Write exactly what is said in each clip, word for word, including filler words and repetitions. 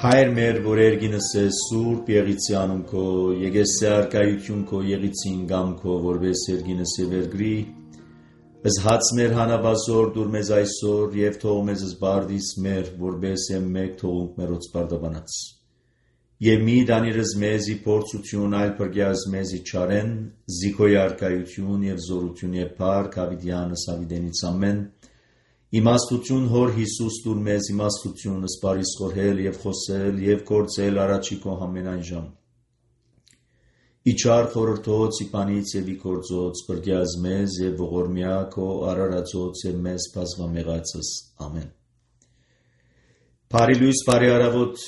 Հայր մեր, որ երգինս է սուրբ եղիցի անուն քո, եկես է արկայություն քո եղիցին գամ քո, որպես երգինս է վերգրի, ըզհաց մեր հանաբազոր դուր մեզ այսօր և թող մեզ զբարդիս մեր, որպես է մեկ թողունք մերոց բարդաբանած։ Եվ մի դանիրս մեզի փորձություն այլ պրգյազ մեզի չարեն, զիքոյ արկայություն և զորություն և փառք հավիդյանս հավիդենից ամեն, իմաստություն հոր Հիսուս դուր մեզ իմաստություն սպարիս խորհել և խոսել և գործել առաջի քո ամենայն ժամ։ Իչար խորհրդոց իպանից և իգործոց պրգյազ մեզ և ողորմյա քո արարածոց և մեզ բազմամեղացս ամեն։ Բարի լույս, բարի արավոտ,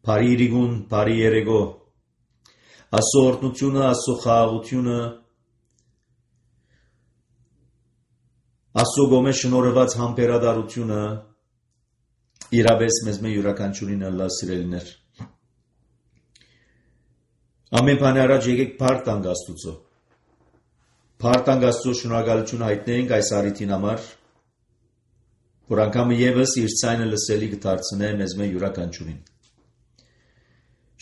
բարի իրիգուն, բարի երեգո, Աստծո օրհնությունը, Աստծո խաղաղությունը, Աստծո գոմե շնորհված համբերատարությունը իրապես մեզ մե յուրաքանչյուրին ըլլա սիրելիներ։ Ամեն բանի առաջ եկեք փառք տանք Աստուծո։ Փառք տանք Աստծո, շնորհակալություն հայտնենք այս առիթին համար, որ անգամ ևս իր ցայնը լսելի կդարձնե մեզ մե յուրաքանչյուրին։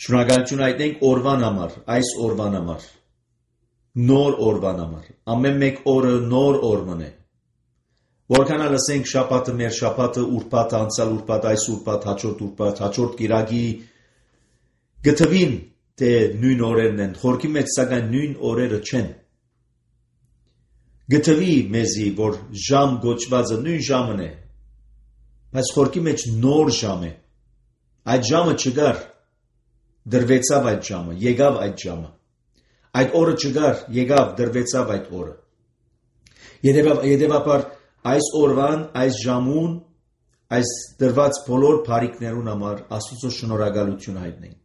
Շնորհակալություն հայտնենք օրվան համար, այս օրվան համար, նոր օրվան համար։ Ամեն մեկ օրը նոր օր մնե։ Որքան լսենք շաբաթը մեր շաբաթը, ուրբաթը անցյալ ուրբաթ, այս ուրբաթ, հաջորդ ուրբաթ, հաջորդ կիրակի գտվին թե նույն օրերն են, խորքի մեջ սակայն նույն օրերը չեն։ Գտվի մեզի, որ ժամ գոչվածը նույն ժամն է, բայց խորքի մեջ նոր ժամ է։ Այդ ժամը չգար, դրվեցավ այդ ժամը, եկավ այդ ժամը։ Այդ օրը չգար, եկավ, դրվեցավ այդ օրը։ Եդևաբար այս օրվան, այս ժամուն, այս դրված բոլոր բարիքներուն համար Աստուծո շնորհակալություն հայտնենք։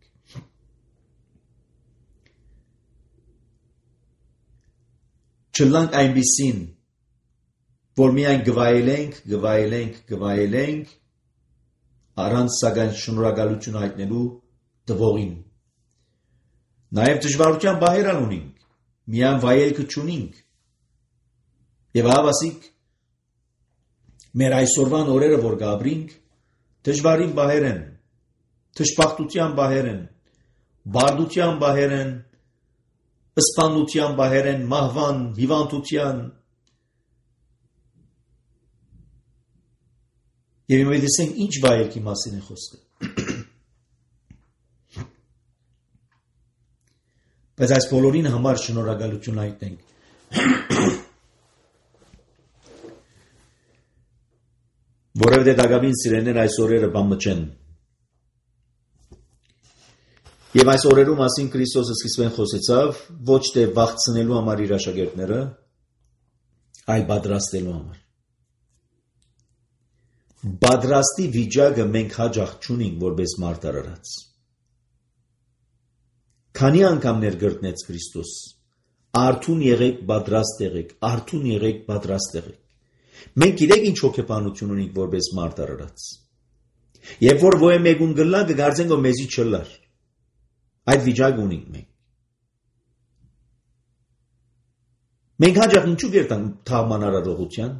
Չլանք այնպիսին, որ միայն գվայելենք, գվայելենք, գվայելենք, առանց սակայն շնորհակալություն հայտնելու տվողին։ Նաև դժվարության բահեր ունենք, միայն վայելքը չունենք։ Եվ հավասիկ մեր այսօրվան օրերը, որ գաբրինք, դժվարին բահեր են, թշպախտության բահեր են, բարդության բահեր են, սպանության բահեր են, մահվան, հիվանդության։ Եվ իմը դեսենք ինչ վայելքի մասին է խոսքը։ Բայց այս բոլորին համար շնորհակալություն հայտնենք։ Որովհետև դակավին սիրելիներ այս օրերը բամը չեն։ Եվ այս օրերու մասին Քրիստոսը սկիզբեն խոսեցավ ոչ թե վախցնելու համար իր աշակերտները, այլ պատրաստելու համար։ Պատրաստի վիճակը մենք հաճախ չունենք որպես մարդ արարած։ Քանի անգամ ներգրտնեց Քրիստոս, արթուն եղեք, պատրաստ եղեք, արթուն եղեք, պատրաստ եղեք։ Մենք գիտենք ինչ հոգեբանություն ունենք որպես մարդ արարած։ Երբ որ ոյ մեկուն գլա կգարձենք որ մեզի չլար։ Այդ վիճակը ունենք մենք։ Մենք հաճախ ինչու գերտանք թաղման արարողության։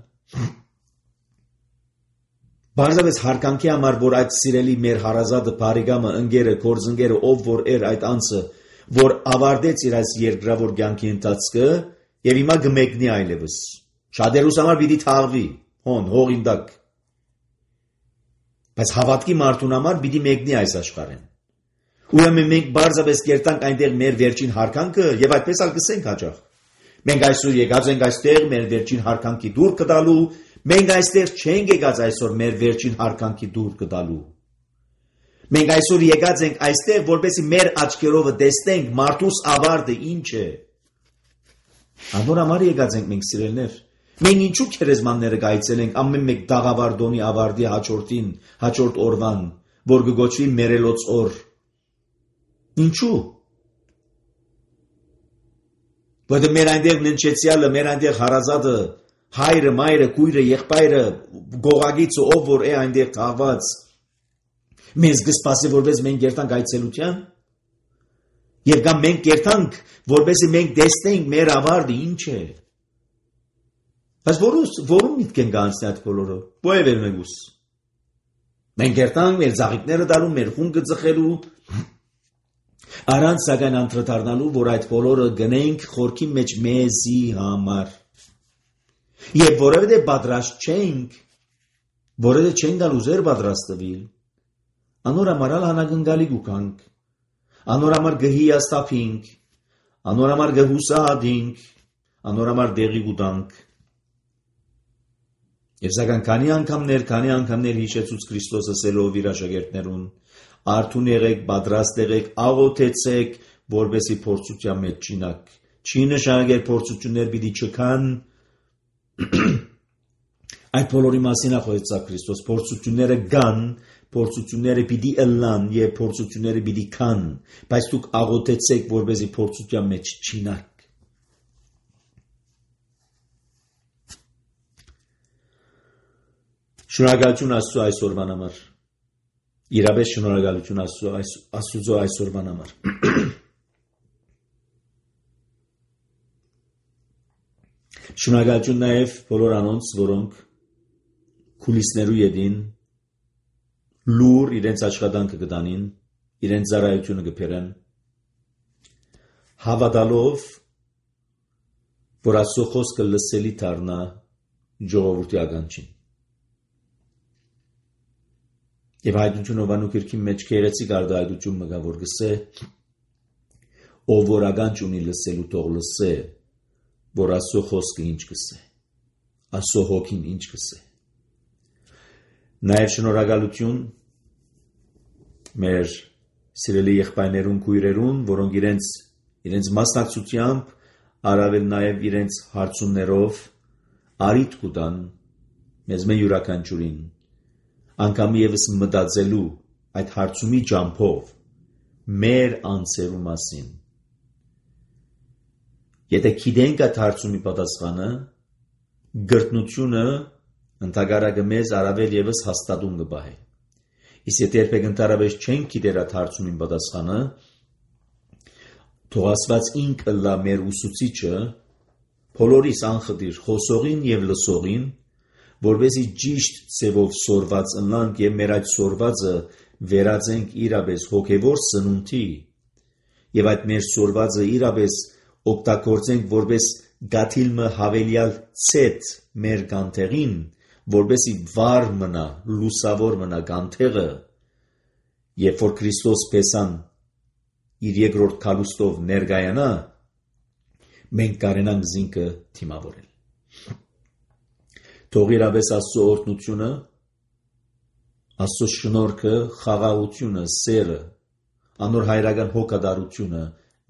Բարձրապես հարկանքի համար, որ այդ սիրելի մեր հարազատը, բարեկամը, ընկերը, գործընկերը, ով որ էր այդ անձը, որ ավարտեց իր այս երկրավոր կյանքի ընթացքը եւ հիմա կմեկնի այլևս։ Շատերուս համար պիտի թաղվի, հոն, հողին տակ։ Բայց հավատքի մարդուն համար պիտի մեկնի այս աշխարհեն։ Ուրեմն մենք բարձրապես կերտանք այնտեղ մեր վերջին հարկանքը եւ այդպես ալ կսենք հաջող։ Մենք այսօր եկած ենք այստեղ մեր վերջին հարկանքի դուր կտալու, մենք այստեղ չենք եկած այսօր մեր վերջին հարկանքի դուր կտալու։ Մենք այսօր եկած ենք այստեղ, որպեսզի մեր աչքերով տեսնենք մարդուս ավարտը ինչ է։ Անոր համար եկած ենք մենք սիրելներ։ Մենք ինչու քերեզմանները գայցել ենք ամեն մեկ դաղավարդոնի ավարտի հաջորդին, հաջորդ օրվան, որ կգոչվի մերելոց օր։ Ինչու։ Որտե մեր այնտեղ ննչեցյալը, մեր այնտեղ հարազատը, հայրը, մայրը, քույրը, եղբայրը, գողագիցը, ով որ է այնտեղ թաղված, մեզ կսպասի որպես մենք կերտանք այցելության։ Եվ կամ մենք կերտանք, որպեսզի մենք տեսնենք մեր ավարտը ինչ է։ Բայց որում միտք են գանցնի այդ բոլորը, բոև էր մեկուս։ Մենք երտանք մեր զաղիքները դարում, մեր խունգը ձխելու, առանց սակայն անդրադառնալու, որ այդ բոլորը գնենք խորքի մեջ մեզի համար։ Եվ որևէ պատրաստ չենք, որևէ չենք գալ ուզեր պատրաստվել, անոր համար հանագնգալի գուկանք, անոր համար գհիաստափինք, անոր համար գհուսահատինք, անոր համար դեղի գուտանք։ Եվ սակայն քանի անգամներ, քանի անգամներ հիշեցուց Քրիստոսը սելով իր աշակերտներուն, արթուն եղեք, պատրաստ եղեք, աղոթեցեք, որպեսզի փորձության մեջ չինակ։ Չի նշանակել փորձություններ պիտի չքան։ Այդ բոլորի մասին է խոսեցավ Քրիստոս, փորձությունները կան, փորձությունները պիտի ըլլան եւ փորձությունները պիտի քան, բայց դուք աղոթեցեք, որպեսզի փորձության մեջ չինակ։ Շնորհակալություն Աստծո այսօրվան համար։ Իրապես շնորհակալություն Աստծո Աստծո այսօրվան համար։ Շնորհակալություն նաև բոլոր անոնց, որոնք քուլիսներու յետին լուր իրենց աշխատանքը կտանին, իրենց ծառայությունը կփերեն, հավատալով, որ Աստծո խոսքը լսելի դառնա ժողովրդի ականջին։ Եվ հայտնություն ովանու կիրքի մեջ քերեցիկ արդայդություն մգա, որ գսե, ով որ ականջ ունի լսելու թող լսե, որ Աստծո խոսքը ինչ գսե, Աստծո հոգին ինչ գսե։ Նաև շնորհակալություն մեր սիրելի եղբայրներուն, քույրերուն, որոնք իրենց իրենց մասնակցությամբ, առավել նաև իրենց հարցումներով արիթ կուտան մեզ մե յուրաքանչյուրին անգամ եւս մտածելու այդ հարցումի ջամփով մեր անձերու մասին։ Եթե գիտենք այդ հարցումի պատասխանը, գրտնությունը ընդհանրակը մեզ առավել եւս հաստատում կբահի։ Իսկ եթե երբեք ընդհանրապես չենք գիտեր այդ հարցումին պատասխանը, թող Աստված ինքը լա մեր ուսուցիչը, բոլորիս անխտիր խոսողին եւ լսողին, որպեսզի ճիշտ ձևով սորված ընլանք եւ մեր այդ սորվածը վերածենք իրապես հոգեվոր սնունդի եւ այդ մեր սորվածը իրապես օգտագործենք որպես գաթիլմը հավելյալ ցետ մեր կանթեղին, որպեսզի վառ մնա, լուսավոր մնա կանթեղը, երբ որ Քրիստոս փեսան իր երկրորդ քալուստով ներկայանա, մենք կարենանք զինքը թիմավորել։ Թող իրապես Աստծո օրհնությունը, Աստծո շնորհքը, խաղաղությունը, սերը, անոր հայրական հոգատարությունը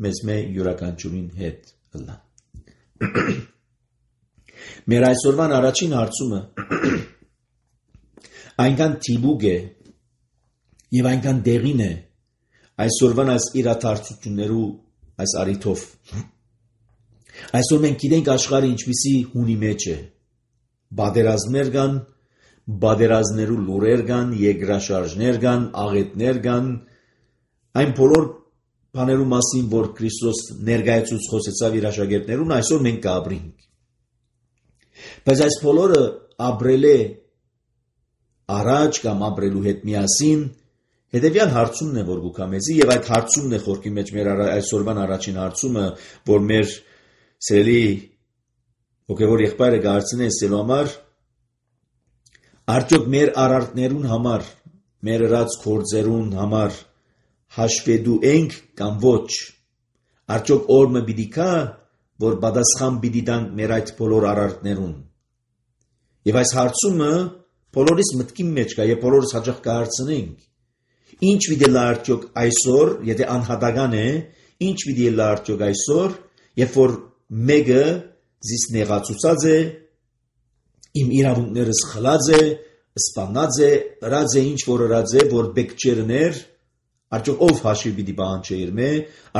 մեզ մե յուրաքանչյուրին հետ ըլլա։ Մեր այսօրվան առաջին հարցումը այնքան թիբուկ է եւ այնքան դեղին է այսօրվան այս իրադարձություններու այս արիթով։ Այսօր մենք գիտենք աշխարհը ինչպիսի հունի մեջ է։ Բادرազմներ կան, բادرազներու լուրեր կան, երկրաշարժներ կան, աղետներ կան, այն բոլոր բաներու մասին, որ Քրիստոս ներկայացուց խոսեցավ իր աշակերտներուն, այսօր մենք կապրենք։ Բայց այս բոլորը ապրել է առաջ կամ ապրելու հետ միասին, հետևյալ հարցումն է, որ գուքա մեզի, եւ այդ հարցումն է խորքի մեջ մեր այսօրվան առաջին հարցումը, որ մեր սիրելի հոգևոր եղբայրը գարցնե սելու համար, արդյոք մեր արարքներուն համար, մեր ըրած գործերուն համար հաշվետու ենք կամ ոչ, արդյոք օրը պիտի կա, որ պատասխան պիտի տանք մեր այդ բոլոր արարքներուն։ Եվ այս հարցումը բոլորիս մտքի մեջ կա եւ բոլորս հաճախ կհարցնենք, ինչ պիտի լա արդյոք այսօր, եթե անհատական է, ինչ պիտի լա արդյոք այսօր, երբ որ մեկը զիս նեղացուցած է, իմ իրավունքներս խլած է, սպանած է, ըրած է ինչ որ ըրած է, որ բեկչերներ, արդյոք ով հաշիվ պիտի պահանջե իր մե,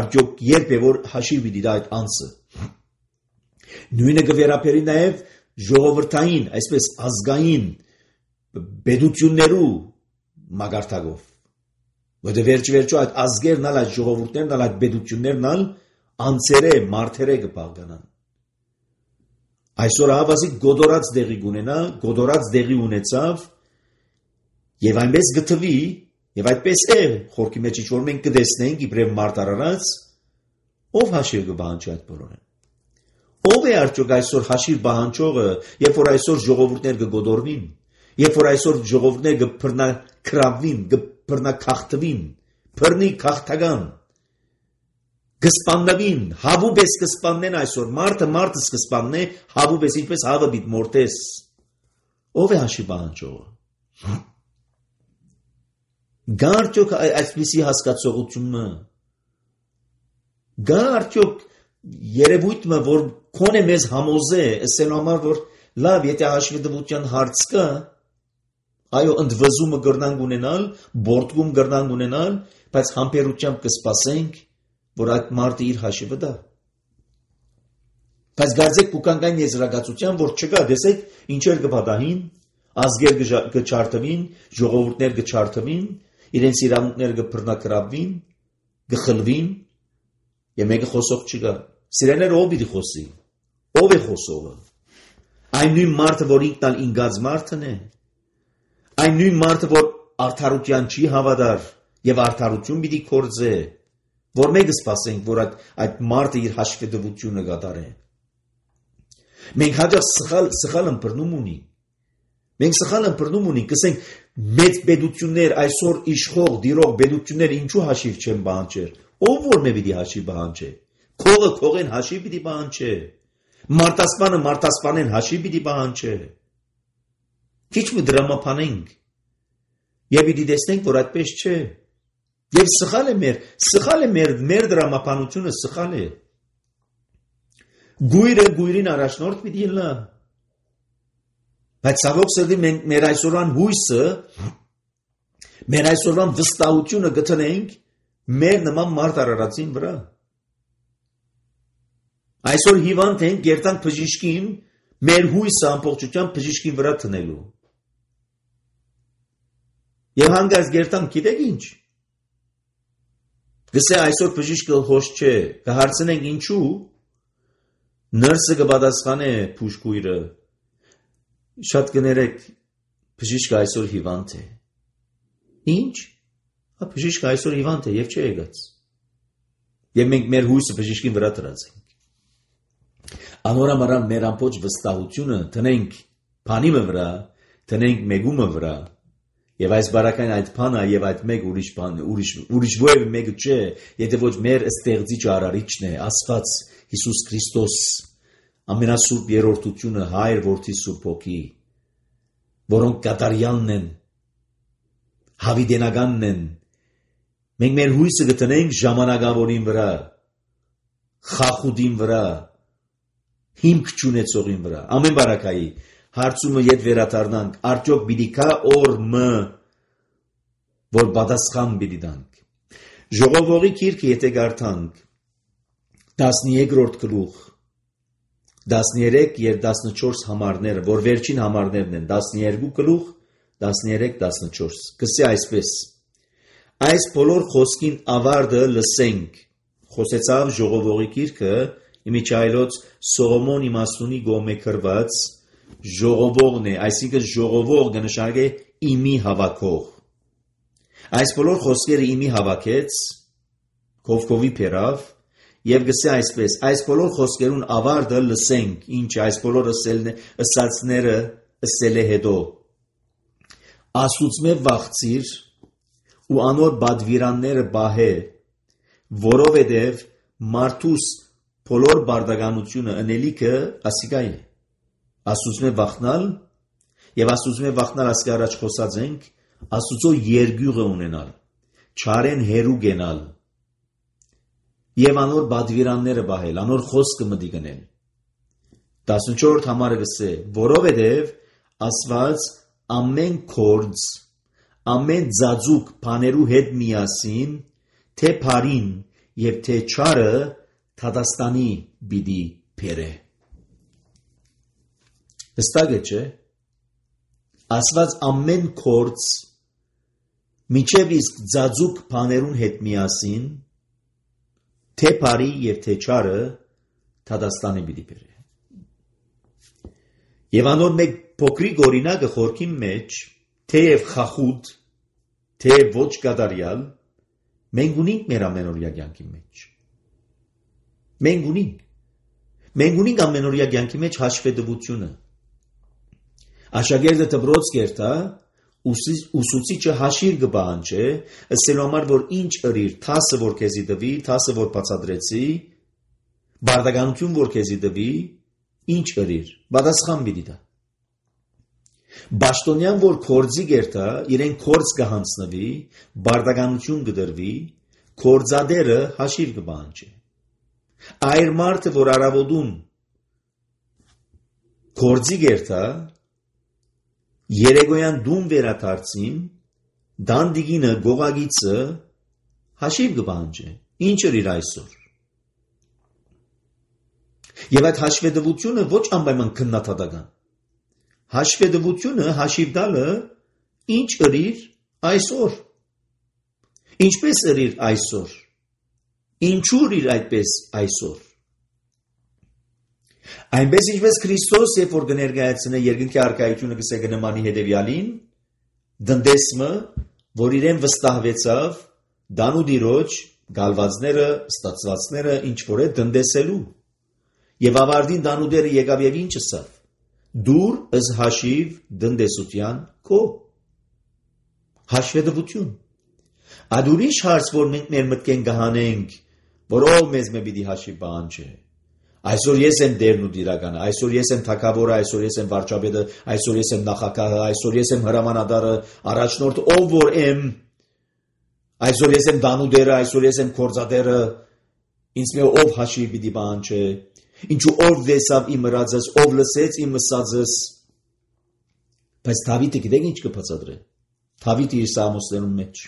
արդյոք երբ է որ հաշիվ պիտի տա այդ անձը։ Նույնը կվերապերի նաև ժողովրդային, այսպես ազգային պետություններու մագարտակով։ Որտե վերջ վերջո այդ ազգերն ալ, այդ ժողովուրդներն ալ, այդ պետություններն ալ անձերը, մարդերը կպահկանան։ Այսօր ավազիկ գոդորած դեղի գունենա, գոդորած դեղի ունեցավ, եւ այնպես գտվի, եւ այդպես է, խորքի մեջ ինչ որ մենք կտեսնենք իբրև մարդ արարած, ով հաշիվ կբահանջի այդ բոլորը։ Ով է արդյոք այսօր հաշիվ բահանջողը, երբ որ այսօր ժողովուրդներ կգոդորվին, երբ որ այսօր ժողովուրդներ կփռնակրավվին, կփռնակախտվին, փռնի քաղաքական, կսպաննվին, հավուբես կսպաննեն այսօր, մարդը մարդը կսպաննե, հավուբես ինչպես հավը բիտ մորտես, ով է հաշիվ բահանջողը։ Գա արդյոք այսպիսի հասկացողությունը, գա արդյոք երևույթը, որ քոնե մեզ համոզե, ասելու համար, որ լավ, եթե հաշվետվության հարց կա, այո, ընդվզումը կրնանք ունենալ, բորտգում կրնանք ունենալ, բայց համբերությամբ կսպասենք, որ այդ մարդը իր հաշիվը դա։ Բայց գարձեք կուկանքային եզրակացության, որ չկա, դեսեք, ինչեր կպատահին, ազգեր կչարթվին, ժողովուրդներ կչարթվին, իրենց իրավունքները կփռնակրավվին, կխլվին, եւ մեկը խոսող չկա։ Սիրելիներ, ով պիտի խոսի։ Ով է խոսողը։ Այն նույն մարդը, որ ինքն ալ ինգած մարդն է։ Այն նույն մարդը, որ արդարության չի հավատար եւ արդարություն պիտի կործե, որ մենք սպասենք, որ այդ, այդ մարդը իր հաշվետվությունը կատարե։ Մենք հաջող սխալ սխալ ըմբռնում ունենք։ Մենք սխալ ըմբռնում ունենք, ասենք մեծ պետություններ այսօր իշխող դիրող պետություններ ինչու հաշիվ չեն բանջեր։ Ով որ մե պիտի հաշիվ բանջե։ Քողը քողեն հաշիվ պիտի բանջե։ Մարտասպանը մարտասպանեն հաշիվ պիտի բանջե։ Քիչ մի դրամապանենք։ Եվ պիտի տեսնենք, որ այդպես չէ։ Եվ սխալ է մեր, սխալ է մեր, մեր դրամապանությունը սխալ է։ Գույրը գույրին առաջնորդ պիտի լա։ Բայց ցավոք սրտի մենք մեր այսօրվան հույսը, մեր այսօրվան վստահությունը գտնենք մեր նման մարդ արարածին վրա։ Այսօր հիվանդ ենք գերտանք բժիշկին, մեր հույսը ամբողջությամբ բժիշկին վրա տնելու։ Եվ հանգած գերտանք գիտեք ինչ։ Գսե այսօր բժիշկը հոշ չէ, կհարցնենք ինչու, նրսը կպատասխանե փուշկույրը, շատ կներեք, բժիշկը այսօր հիվանդ է։ Ինչ։ Բժիշկը այսօր հիվանդ է եւ չի եկած։ Եվ մենք մեր հույսը բժիշկին վրա դրացինք։ Անորամարան մեր ամբողջ վստահությունը տնենք բանի վրա, տնենք մեգումը վրա, եւ այս բարակային այդ բանը եւ այդ մեկ ուրիշ բան, ուրիշ ուրիշ ո՞ր մեկը չէ, եթե ոչ մեր ստեղծիչ արարիչն է, Աստված Հիսուս Քրիստոս, ամենասուրբ երրորդությունը Հայր Որդի Սուրբ Հոգի, որոնք կատարյալն են, հավիտենականն են։ Մենք մեր հույսը գտնենք ժամանակավորին վրա, խախուդին վրա, հիմք չունեցողին վրա։ Ամեն բարակայի հարցումը ետ վերադառնանք, արդյոք պիտի կա օր մը, որ պատասխան պիտի տանք։ Ժողովողի գիրքը եթե կարդանք, տասներորդ գլուխ, տասներեք եւ տասնչորս համարները, որ վերջին համարներն են, տասներկու գլուխ, տասներեք, տասնչորս, կսե այսպես. այս բոլոր խոսքին ավարտը լսենք, խոսեցավ ժողովողի գիրքը, իմիջայլոց Սողոմոն իմաստունի գոմե գրված ժողովողն է, այսինքն ժողովող կնշանակե իմի հավաքող։ Այս բոլոր խոսքերը իմի հավաքեց, կովկովի փերավ, եւ գսե այսպես, այս բոլոր խոսքերուն ավարտը լսենք, ինչ այս բոլոր ըսածները ըսել է հետո։ Աստուծմե վախցիր ու անոր բադվիրանները բահե, որովհետև մարդուս բոլոր բարդականությունը ընելիքը ասիկա է։ Աստուծմե վախնալ եւ աստուծմե վախնալ ասկա առաջ խոսած ենք, Աստուծո երգյուղը ունենալ, չարեն հերու գենալ եւ անոր բադվիրանները բահել, անոր խոսքը մտի գնել։ տասնչորրորդ համարը գսե, որովհետև Աստված ամեն կորձ, ամեն ձաձուկ բաներու հետ միասին, թե բարին եւ թե չարը Թադաստանի բիդի փերե։ Հստակ է, չէ՞։ Աստված ամեն կորձ, միջև իսկ ձաձուկ բաներուն հետ միասին, թե բարի եւ թե չարը Թադաստանի բիդի փերե։ Եվ անոր մեկ փոքրիկ օրինակը խորքի մեջ, թեև խախուտ, թեև ոչ կատարյալ, մենք ունենք մեր ամենօրյա կյանքի մեջ։ Մենք ունենք։ Մենք ունենք ամենօրյա կյանքի մեջ հաշվետվությունը։ Աշակերտը դպրոց կերտա, ուսուցիչը հաշիվ կպահանջի, ասելու համար, որ ինչ ըրիր, թասը որ քեզի տվի, թասը որ բացատրեցի, բարդականություն որ քեզի տվի, ինչ ըրիր, պատասխան պիտի տա։ Բաշտոնյան որ կորձի կերտա, իրեն կորձ կհանձնվի, բարդականություն կդրվի, կորձադերը հաշիվ կպահանջի։ Այր մարդը, որ առավոտուն կորձի կերտա, երեկոյան դուն վերադարձին, դանդիգինը, գողագիցը հաշիվ կպահանջի, ինչ ըրիր այսօր։ Եվ այդ հաշվետվությունը ոչ անպայման քննադատական։ Հաշվետվությունը հաշիվ տալը ինչ ըրիր այսօր։ Ինչպես ըրիր այսօր։ Ինչու ըրիր այդպես այսօր։ Այնպես ինչպես Քրիստոս երբ որ կներկայացնե երկնքի առկայությունը կսե կնմանի հետևյալին, դնդեսմը, որ իրեն վստահվեցավ, դանուդիրոջ, գալվածները, ստացվածները ինչ որ է դնդեսելու։ Եվ ավարտին դանուդերը եկավ եւ ինչ ասավ. դուր ըս հաշիվ դնդեսության քո հաշվետվություն։ Այդ ուրիշ հարց, որ մենք մեր մտքեն կհանենք, որ ով մեզ մե պիտի հաշիվ պահանջի։ Այսօր ես եմ դերն ու դիրականը, այսօր ես եմ թագավորը, այսօր ես եմ վարչապետը, այսօր ես եմ նախագահը, այսօր ես եմ հրամանատարը, առաջնորդը, ով որ եմ, այսօր ես եմ դանուդերը, այսօր ես եմ կորձադերը, ինձ մե ով հաշիվ պիտի պահանջի։ Ինչու ով դեսավ իմ ըրածս, ով լսեց իմ ըսածս։ Բայց Դավիթը գիտեք ինչ կբացատրի։ Դավիթը իր սաղմոսներում մեջ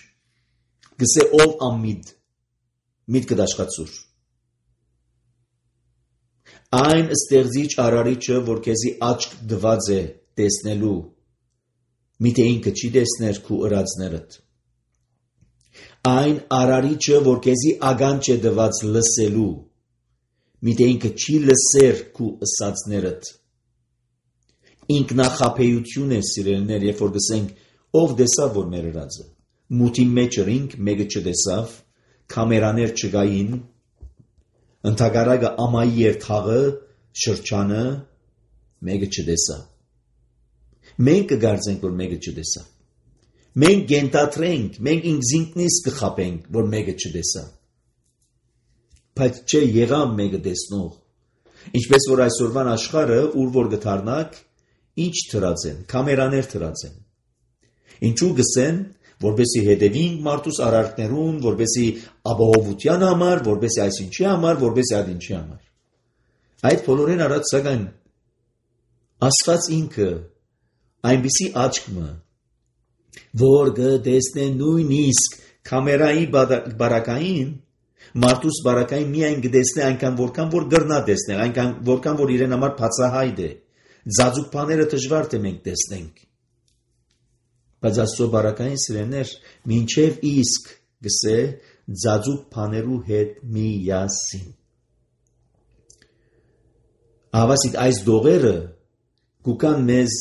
գսե ով ամիդ, միտքը դաշխացուր։ Այն ստեղծիչ արարիչը, որ քեզի աչք դված է տեսնելու, միթե ինքը չի տեսներ քու ըրածներդ։ Այն արարիչը, որ քեզի ագանջ է դված լսելու, միթե ինքը չի լսեր քու ըսածներդ։ Ինքնախաբեություն է սիրելիներ, երբ որ գսենք ով դեսավ որ մեր ըրածը։ Մութի մեջ ըրինք, մեկը չտեսավ, կամերաներ չկային, ընդհակառակը ամայի էր թաղը, շրջանը, մեկը չտեսավ։ Մենք կգարձենք, որ մեկը չտեսավ։ Մենք գենտատրենք, մենք ինքզինքնից կխապենք, որ մեկը չտեսավ։ Բայց չէ եղավ մեկը տեսնող։ Ինչպես որ այսօրվան աշխարհը, ուր որ գթարնակ, ինչ թրած են, կամերաներ թրած են։ Ինչու գսեն, որբեսի հետևին մարդուս արարքներուն, որբեսի ապահովության համար, որբեսի այսինչի համար, որբեսի այդ ինչի համար։ Այդ բոլորին արած սակայն Աստված ինքը այնպիսի աչքը, որ կտեսնե նույնիսկ կամերայի բարակային, մարդուս բարակային միայն կտեսնե այնքան որքան որ գրնա տեսնել, այնքան որքան որ իրեն համար բացահայտ է։ Ձաձուկ բաները դժվար թե մենք տեսնենք։ Բայց Աստծո բարակային սիրելիներ, մինչև իսկ գսե ձաձուկ բաներու հետ միասին։ Ավասիկ այս դողերը կուկան մեզ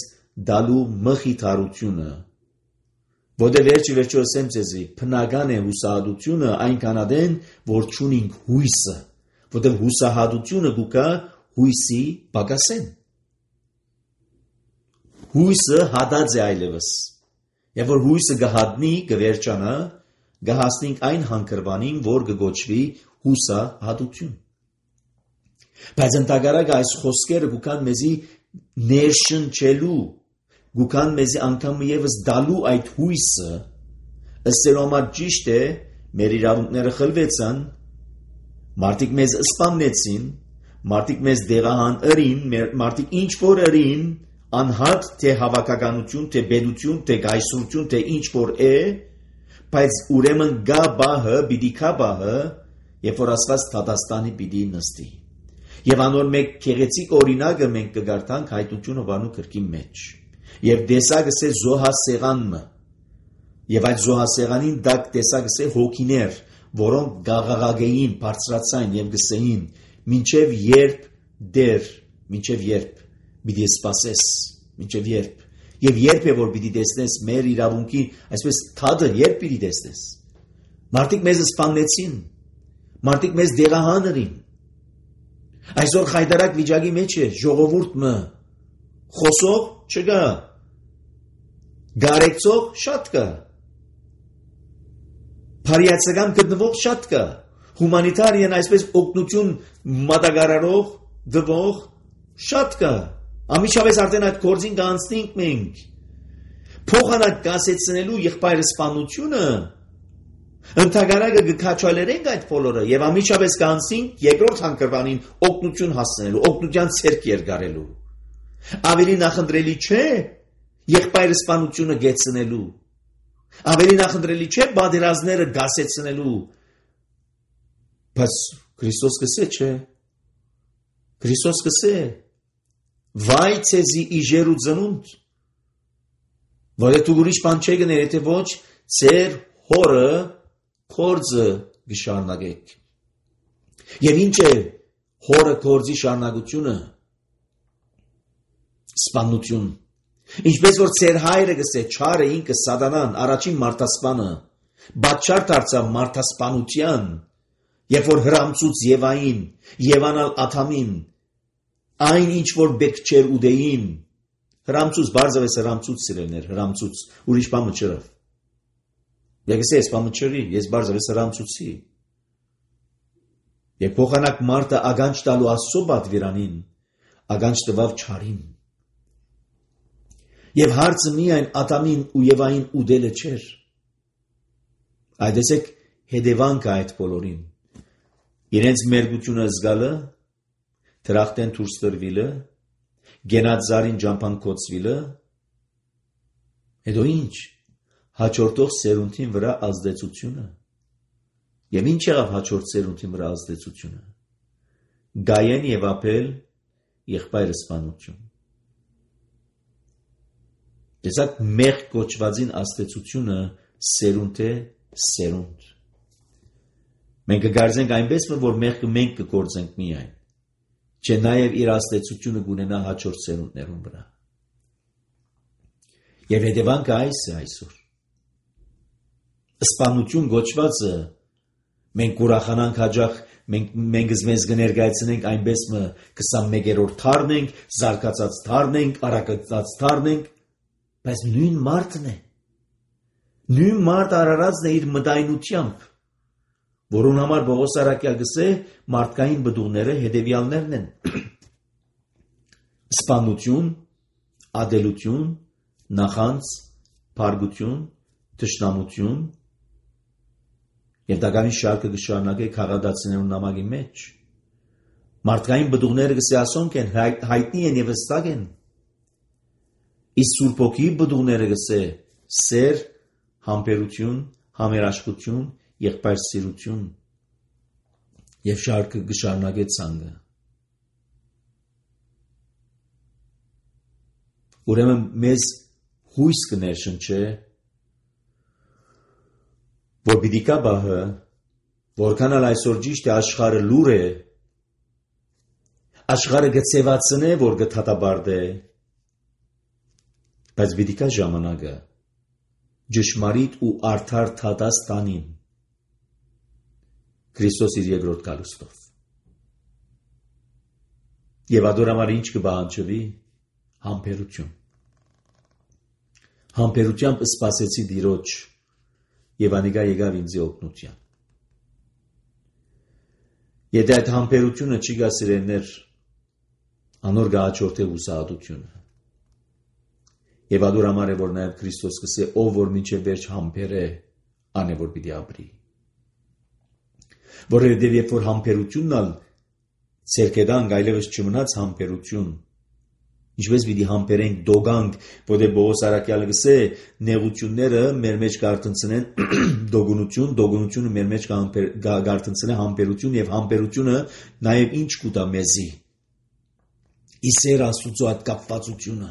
դալու մխիթարությունը, որտեղ վերջի վերջո ասեմ ձեզի, բնական է հուսահատությունը այնքան ադեն, որ չունենք հույսը, որտեղ հուսահատությունը կուկա հույսի պակասեն։ Հույսը հադած է այլևս, եւ որ հույսը գահատնի, գվերջանա, գահասնենք այն հանգրվանին, որ կգոչվի հուսահատություն։ Բայց ընդհակառակը այս խոսքերը կուքան մեզի ներշնչելու, կուքան մեզի անգամ եւս դալու այդ հույսը, ըստ համար ճիշտ է, մեր իրավունքները խլվեցան, մարդիկ մեզ սպանեցին, մարդիկ մեզ դեղահան ըրին, մարդիկ ինչ որ ըրին, անհատ թե հավաքականություն, թե բեդություն, թե գայսրություն, թե ինչ որ է, բայց ուրեմն գա բահը, պիտի կա բահը, երբ որ Աստված դատաստանի պիտի նստի։ Եվ անոր մեկ քեղեցիկ օրինակը մենք կգարտանք հայտնություն Հովանու գրքի մեջ։ Եվ դեսագս է զոհասեղանը։ Եվ այդ զոհասեղանին դակ տեսագս է հոգիներ, որոնք գաղաղագեին, բարձրացային եւ գսեին, մինչեւ երբ դեր, մինչեւ երբ Պիտի սպասես, մինչև երբ։ Եվ երբ է որ պիտի տեսնես մեր իրավունքի, այսպես թադը երբ պիտի տեսնես։ Մարդիկ մեզ սպանեցին, մարդիկ մեզ դեղահաներին։ Այսօր խայտարակ վիճակի մեջ է ժողովուրդը, խոսող չկա, գարեկցող շատ կա, փարիացական գտնվող շատ կա, հումանիտարիան այսպես օգնություն մատակարարող դվող շատ կա։ Ամիջապես արդեն այդ գործին կանցնենք մենք։ Փոխանակ կասեցնելու եղբայր սպանությունը ընդհանրակը գքաչալերենք այդ բոլորը եւ ամիջապես կանցնենք երկրորդ հանգրվանին օգնություն հասցնելու, օգնության ցերկ երգարելու։ Ավելի նախընտրելի չէ եղբայր սպանությունը գեցնելու։ Ավելի նախընտրելի չէ բادرազները գասեցնելու։ Բայց Քրիստոս կսե չէ։ Քրիստոս կսե Վայ ցեզի իժերու ծնունդ, որ դու ուրիշ բան չեք գնել, եթե ոչ ծեր հորը կորձը գշարնագեք։ Եվ ինչ է հորը կորձի շարնագությունը, սպանություն։ Ինչպես որ ծեր հայրը գսե չարը ինքը սատանան, առաջին մարդասպանը, բաչար դարձավ մարդասպանության, երբ որ հրամցուց Եվային, Եվանալ Աթամին, այն ինչ որ բեք չեր ուդեին, հրամցուց, բարձավես հրամցուց սիրելներ, հրամցուց, ուրիշ բամը չրավ։ Եկես ես բամը չրի, ես բարձավես հրամցուցի։ Եվ փոխանակ մարդը ագանչ տալու Աստծո պատվիրանին, ագանչ տվավ չարին։ Եվ հարցը միայն Ադամին ու Եվային ուդելը չէր։ Այդեցեք հետևանքը այդ բոլորին։ Իրենց մերգությունը զգալը, Թրախտեն դուրս տրվիլը, գենած զարին ջամփան կոծվիլը, հետո ինչ, հաջորդող սերունդին վրա ազդեցությունը։ Եվ ինչ եղավ հաջորդ սերունդին վրա ազդեցությունը։ Գայեն եւ Աբել եղբայր սպանություն։ Տեսակ մեղ կոչվածին ազդեցությունը սերունդ է սերունդ։ Մենք կգարձենք այնպես, որ մեղքը մենք կգործենք միայն, չէ նաև իր ազդեցությունը կունենա հաջորդ սերունդներուն վրա։ Եվ հետևանքը այս է այսօր։ Սպանություն գոչվածը մենք կուրախանանք հաջող, մենք մենք մեզ կներկայացնենք այնպես մը քսանմեկերորդ թարն ենք, զարգացած թարն ենք, արագացած թարն ենք, բայց նույն մարդն է։ Նույն մարդ արարածն է իր մտայնությամբ, որուն համար Պողոս առաքյալ գսե մարդկային բդուղները հետևյալներն են. սպանություն, ադելություն, նախանց, փարգություն, թշնամություն, եւ դականի շարքը կշարունակե քաղաքացիներուն նամակի մեջ։ Մարդկային բդուղները գսե ասոնք են, հայտնի են եւ հստակ են։ Իսկ Սուրբ Հոգի բդուղները գսե սեր, համբերություն, համերաշխություն, եղբայրսիրություն եւ շարքը կշարունակե ցանկը։ Ուրեմն մեզ հույս կներշնչե, որ պիտի կա բահը, որքան ալ այսօր ճիշտ է աշխարհը լուր է, աշխարհը գծեվացնե, որ գթաթաբարդ է, բայց պիտի կա ժամանակը ճշմարիտ ու արդար թադաս տանին Քրիստոս իր երկրորդ գալուստով։ Եվ ադոր համար ինչ կբանջվի համբերություն։ Համբերությամբ սպասեցի Տիրոջ եւ անիկա եկավ ինձ օգնության։ Եթե այդ համբերությունը չի գա սիրելներ, անոր գաճորթե ուսահատությունը։ Եվ ադոր համար է որ նաեւ Քրիստոս կսե ով որ մինչև վերջ համբեր է, անե որ պիտի ապրի։ Որովհետև երբ որ համբերությունն ալ ցերկեդանք այլևս չմնաց համբերություն, ինչպես պիտի համբերենք դոգանք, որտեղ Պողոս առաքյալը գսե նեղությունները մեր մեջ կարտնցնեն դոգունություն, դոգունությունը մեր մեջ կարտնցնե համբերություն եւ համբերությունը նաեւ ինչ կուտա մեզի։ Իսեր Աստուծո այդ կապվածությունը,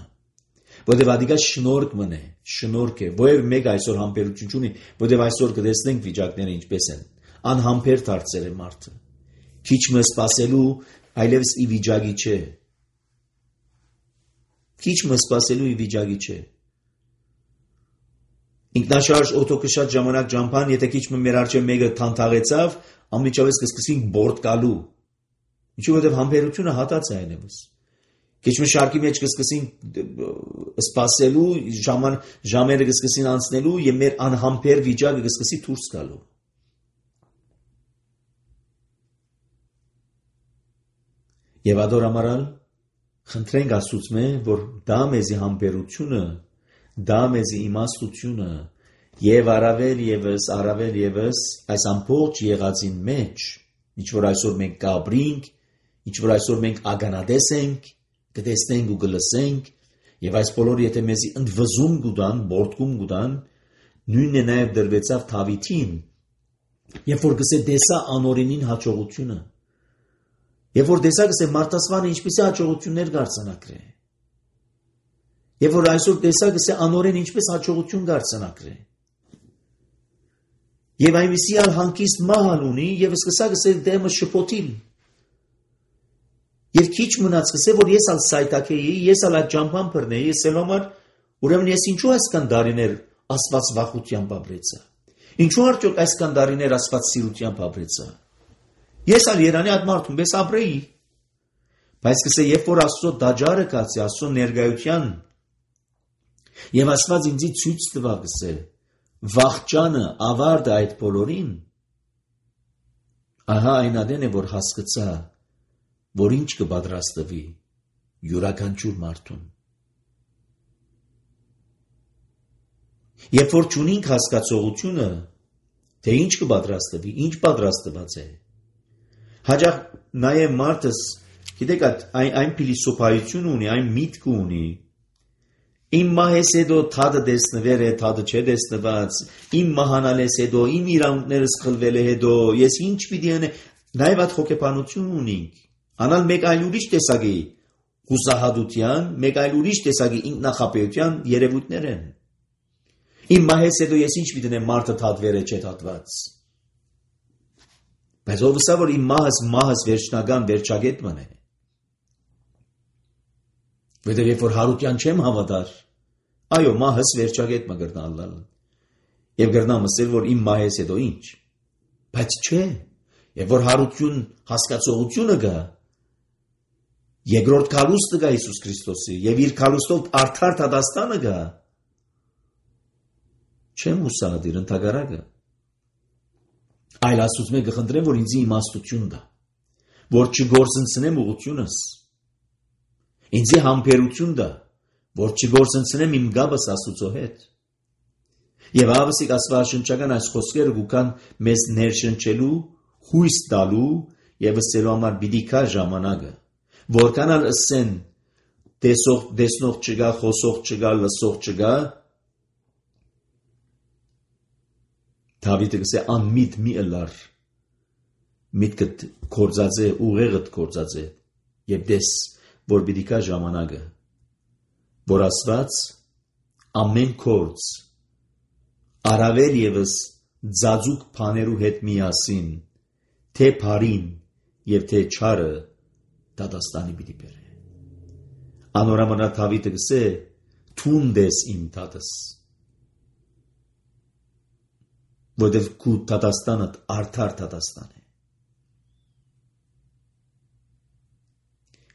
որտեղ ադիգա շնորհք մնե, շնորհք է, ովև մեկ այսօր համբերություն չունի, որտեղ այսօր կտեսնենք վիճակները ինչպես են, անհամբեր դարձել է մարդը, քիչ մը սпасելու այլևս ի վիճակի չէ։ Քիչ մը սպասելու վիճակի չէ։ Ինքնաշարժ օտոկշատ ժամանակ ճամփան, եթե քիչ մը մեր արջև մեկը թանթաղեցավ, անմիջապես կսկսենք բորտ գալու։ Ինչու որովհետև համբերությունը հատած է այնևս։ Քիչ մը շարքի մեջ կսկսենք սպասելու, ժաման ժամերը կսկսին անցնելու եւ մեր անհամբեր վիճակը կսկսի դուրս գալու։ Եվ ադոր ամարալ խնդրենք Աստծո, որ դա մեզի համբերությունը, դա մեզի իմաստությունը եւ առավել եւս, առավել եւս այս ամբողջ եղածին մեջ, ինչ որ այսօր մենք կապրինք, ինչ որ այսօր մենք ագանադես ենք, կտեսնենք ու կլսենք, եւ այս բոլորը եթե մեզի ընդվզում գուտան, բորտկում գուտան, նույնն է նաեւ դրվեցավ Դավիթին, երբ որ գսե դեսա անօրենին հաջողությունը, երբ որ դեսա գսե Մարտասվանը ինչպիսի հաջողություններ կարձանակրե, երբ որ այսօր դեսա գսե անօրեն ինչպես հաջողություն կարձանակրե, եւ այնպիսի ալ հանգիստ մահալ ունի եւ սկսա գսե դեմը շփոթիլ, եւ քիչ մնաց գսե որ ես ալ սայտակեի, ես ալ այդ ճամփան բռնեի, ես ել համար ուրեմն ես ինչու այսքան դարիներ Աստված վախությամբ ապրեցա, ինչու արդյոք այսքան դարիներ Աստված սիրությամբ ապրեցա, ես ալ Երանի այդ մարդուն պես ապրեի, բայց գսե երբ որ Աստծո դաջարը կացի, Աստծո ներկայության եւ Աստված ինձի ցույց տվա գսե վախճանը ավարտը այդ բոլորին, ահա այն ադեն է որ հասկացա, որ ինչ կպատրաստվի յուրաքանչյուր մարդուն։ Երբ որ չունենք հասկացողությունը, թե ինչ կպատրաստվի, ինչ պատրաստված է, հաճախ նաեւ մարդս, գիտեք, այն այն փիլիսոփայություն ունի, այն միտք ունի, իմ մահես հետո թադը դեսնվեր է, թադը չէ դեսնված, իմ մահանալես հետո, իմ իրանքներս խլվել է հետո, ես ինչ պիտի անե, նաեւ այդ հոգեբանություն ունենք, անալ մեկ այլ ուրիշ տեսակի հուսահատության, մեկ այլ ուրիշ տեսակի ինքնախապեյության երևույթներ են։ Իմ մահես հետո ես ինչ պիտի անեմ, մարդը թադվեր է, չէ թադված։ Բայց ով վստահ որ իմ մահս մահս վերջնական վերջագետման է։ Որտեղ երբ որ հարության չեմ հավատար, այո, մահս վերջագետը կգրնալ, եւ գրնամ ասել որ իմ մահես հետո ինչ, բայց չէ, եւ որ հարություն հասկացողությունը գա, երկրորդ քալուստը գա Հիսուս Քրիստոսի, եւ իր քալուստով արդար դատաստանը գա, չեմ հուսադիր ընդհակառակը, այլ Աստծուց մեկ կխնդրեմ որ ինձ իմաստություն տա, որ չգործընծնեմ ուղությունս, ինձի համբերություն տա, որ չգործընծնեմ իմ գաբս Աստծո հետ։ Եվ ավսիկ աստվածաշնչական այս խոսքերը գուքան մեզ ներշնչելու, հույս տալու եւ ըսելու համար պիտի կա ժամանակը, որքան ալ ըսեն տեսող տեսնող չգա, խոսող չգա, լսող չգա, Դավիթը գսե անմիտ մի ըլար, միտքդ կործած է, ուղեղդ կործած է, եւ դես որ պիտի կա ժամանակը, որ Աստված ամեն կորց, առավել եւս ձաձուկ բաներու հետ միասին, թե բարին եւ թե չարը դատաստանի պիտի բերե։ Անորամանա Դավիթը գսե թունդես իմ տատս, որտեղ քու դատաստանդ արդար դատաստան է։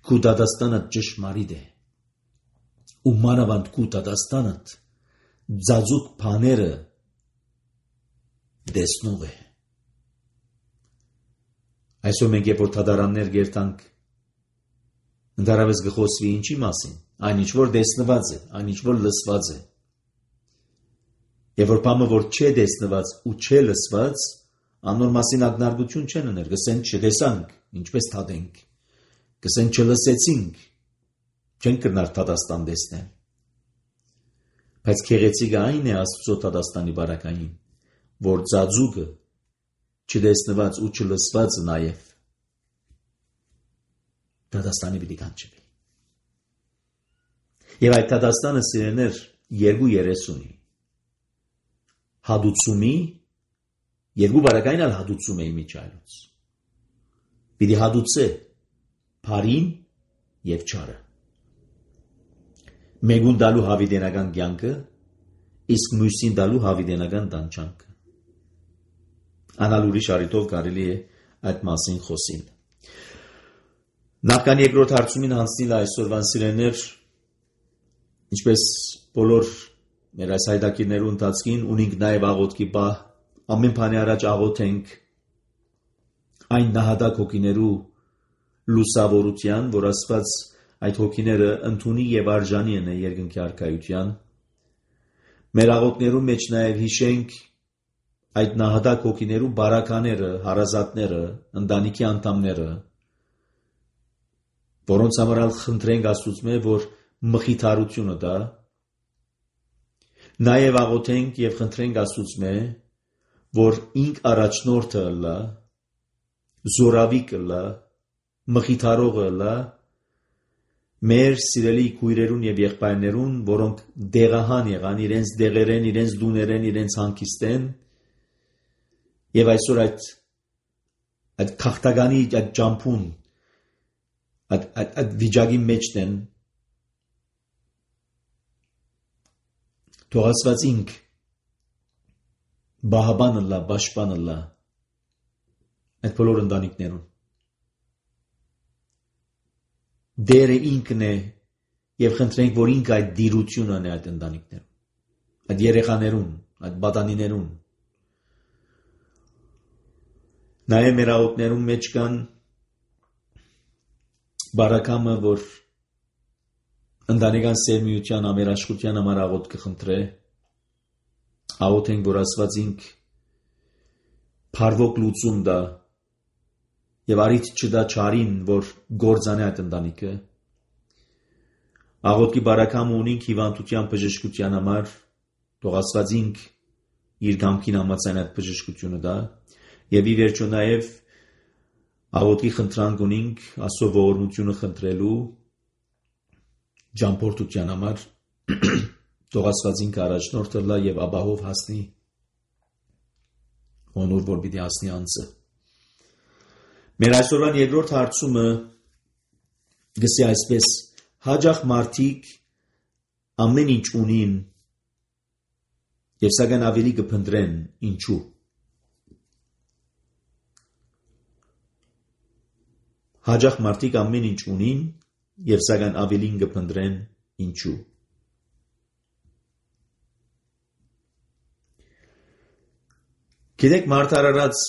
Քու դատաստանդ ճշմարիտ է, ու մանավանդ քու դատաստանդ ձաձուկ բաները դեսնող է։ Այսօր մենք երբ որ թադարաններ գերտանք, ընդհանրապես գխոսվի ինչի մասին, այն ինչ որ դեսնված է, այն ինչ որ լսված է։ Եվ որ բամը որ չէ դեսնված ու չէ լսված, անոր մասին ակնարկություն չեն ուներ, գսեն չտեսանք, ինչպես թադենք, գսեն չլսեցինք, չեն կրնար թադաստան դեսնել։ Բայց քեղեցիկը այն է Աստծո թադաստանի բարակային, որ ձաձուկը չդեսնված ու չլսված նաև թադաստանի պիտի կանչվի։ Եվ այդ թադաստանը սիրեներ երկու երես ունի։ Հադուցումի, երկու բարակային ալ հադուցում է իմիջայլուց։ Պիտի հադուցե բարին և չարը։ Մեկուն դալու հավիտենական կյանքը, իսկ մյուսին դալու հավիտենական տանջանքը։ Անալ ուրիշ առիթով կարելի է այդ մասին խոսին։ Նախքան երկրորդ հարցումին հանձնիլ այսօրվան սիրելիներ, ինչպես բոլոր մեր այս հայտակիրներու ընթացքին ունենք նաև աղոթքի պահ, ամեն բանի առաջ աղոթենք այն նահատակ հոգիներու լուսավորության, որ Աստված այդ հոգիները ընդունի եւ արժանի են երկնքի արքայության։ Մեր աղոթներու մեջ նաև հիշենք այդ նահատակ հոգիներու բարակաները, հարազատները, ընտանիքի անդամները, որոնց համար խնդրենք Աստծուց, որ մխիթարությունը տա։ Նաև աղոթենք եւ խնդրենք Աստծուց, որ ինք առաջնորդը լա, զորավիկը լա, մխիթարողը լա, մեր սիրելի քույրերուն եւ եղբայրներուն, որոնք դեղահան եղան, իրենց դեղերեն, իրենց դուներեն, իրենց հանգիստեն, եւ այսօր այդ այդ քաղաքտագանի այդ ջամփուն այդ այդ այդ վիճակի մեջն են, թող Աստված ինք բահաբանը լա, պաշտպանը լա այդ բոլոր ընտանիքներուն։ Դերը ինքն է եւ խնդրենք, որ ինք այդ դիրությունը անե այդ ընտանիքներուն, այդ երեխաներուն, այդ բադանիներուն։ Նաև մեր աղոթներուն մեջ կան բարակամը, որ ընտանեկան սերմիության ամերաշխության համար աղոթ կխնդրե, աղոթենք, որ Աստված ինք փառվոք լուծում տա եւ արիթ չդա չարին, որ գործանե այդ ընտանիքը։ Աղոթքի բարակամը ունենք հիվանդության բժշկության համար, թող Աստված ինք իր կամքին համաձայն այդ բժշկությունը տա եւ ի վերջո նաեւ աղոթքի խնդրանք ունենք Աստծո ողորմությունը խնդրելու ճամփորդության համար, թող Աստված ինքը առաջնորդը լա եւ ապահով հասնի հոնոր, որ պիտի հասնի անձը։ Մեր այսօրվան երկրորդ հարցումը գսի այսպես. հաջող մարդիկ ամեն ինչ ունին եւ սակայն ավելի կփնտրեն, ինչու։ Հաջող մարդիկ ամեն ինչ ունին եւ սակայն ավելին կփնտրեն, ինչու։ Գիտեք, մարդարարած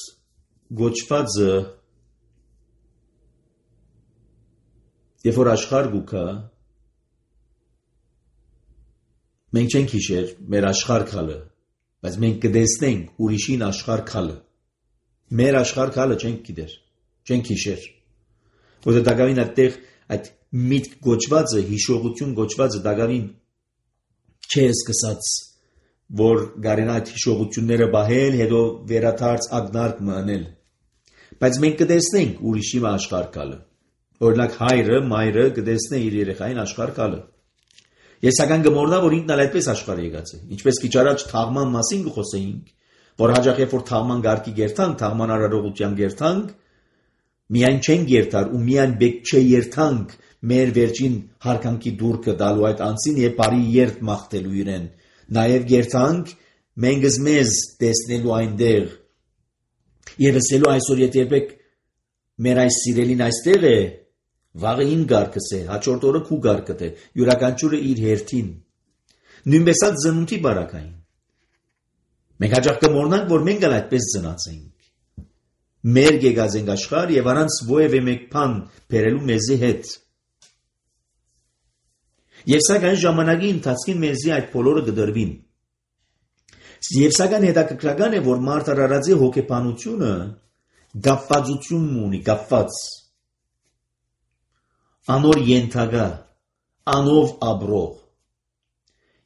գոչվածը երբ որ աշխարհ գուքա, մենք չենք հիշեր մեր աշխարհ քալը, բայց մենք կտեսնենք ուրիշին աշխարհ քալը։ Մեր աշխարհ քալը չենք գիտեր, չենք հիշեր։ Որտեղ դակավին այդտեղ այդ միտք գոչվածը, հիշողություն գոչվածը դակավին չէ սկսած, որ գարին այդ հիշողությունները բահել, հետո վերաթարց ագնարկ մանել։ Բայց մենք կտեսնենք ուրիշի աշխարհ քալը։ Օրինակ հայրը, մայրը կտեսնե իր երեխային աշխարհ քալը։ Ես սակայն գմորնա, որ ինքն այդպես աշխարհ եկած է։ Ինչպես քիչ առաջ թաղման մասին կխոսեինք, որ հաջող երբ որ թաղման գարկի գերտանք, թաղման արարողության գերտանք, միայն չեն գերտար ու միայն բեք չէ երթանք մեր վերջին հարկանքի դուրքը դալու այդ անձին եւ բարի երթ մաղթելու իրեն։ Նաեւ գերտանք մենք մեզ տեսնելու այնտեղ եւ ասելու այսօր երբեք մեր այս սիրելին այստեղ է, վաղը ին գարկս է, հաջորդ օրը քու գարկդ է, յուրաքանչյուրը իր հերթին։ Նույնպես այդ ծնունդի բարակային։ Մենք հաջող կմոռանանք, որ մենք էլ այդպես ծնած ենք։ Մեր եկած ենք աշխարհ եւ առանց ովևէ մեկ բան բերելու մեզի հետ։ Եվ սակայն ժամանակի ընթացքին մեզի այդ բոլորը կդրվին։ Եվ սակայն հետաքրքրական է, որ մարդ արարածի հոգեբանությունը գապվածություն ունի, գապված, անոր ենթագա, անով աբրող։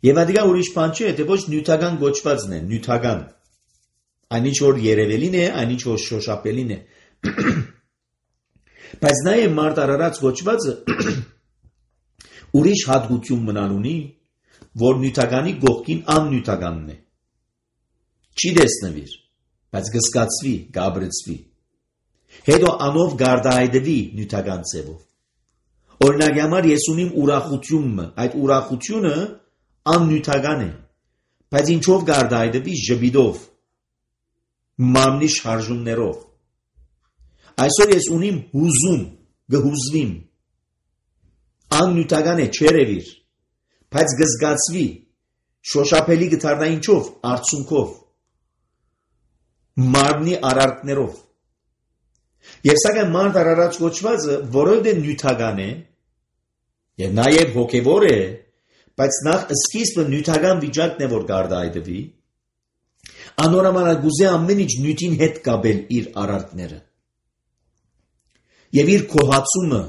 Եվ ադիգա ուրիշ բան չէ, թե ոչ նյութական գոչվածն է, նյութական։ Այնինչ որ երևելին է, այնինչ որ շոշապելին է։ Բայց նաև մարդ արարած գոչվածը ուրիշ հատկություն մնալ ունի, որ նյութականի գողքին աննյութականն է։ Չի դեսնվիր, բայց գսկացվի, գաբրեցվի։ Հետո անով գարդահայտվի նյութական ձևով։ Օրինակի համար ես ունիմ ուրախությունը, այդ ուրախությունը աննյութական է, բայց ինչով գարդայդվի ժպիտով, մարմնի շարժումներով։ Այսօր ես ունիմ հուզում, գհուզվիմ, աննյութական է, չերևիր, բայց գզգացվի, շոշափելի գթարնա ինչով, արցունքով, մարմնի արարքներով։ Եվ սակայն մարդ արարած կոչվածը որովհետև նյութական է եւ նաեւ հոգեվոր է, բայց նախ սկիզբը նյութական վիճակն է, որ գարդայդվի, անորոմանալ գուզե ամեն ինչ նյութին հետ կապել իր արարքները եւ իր կոհացումը,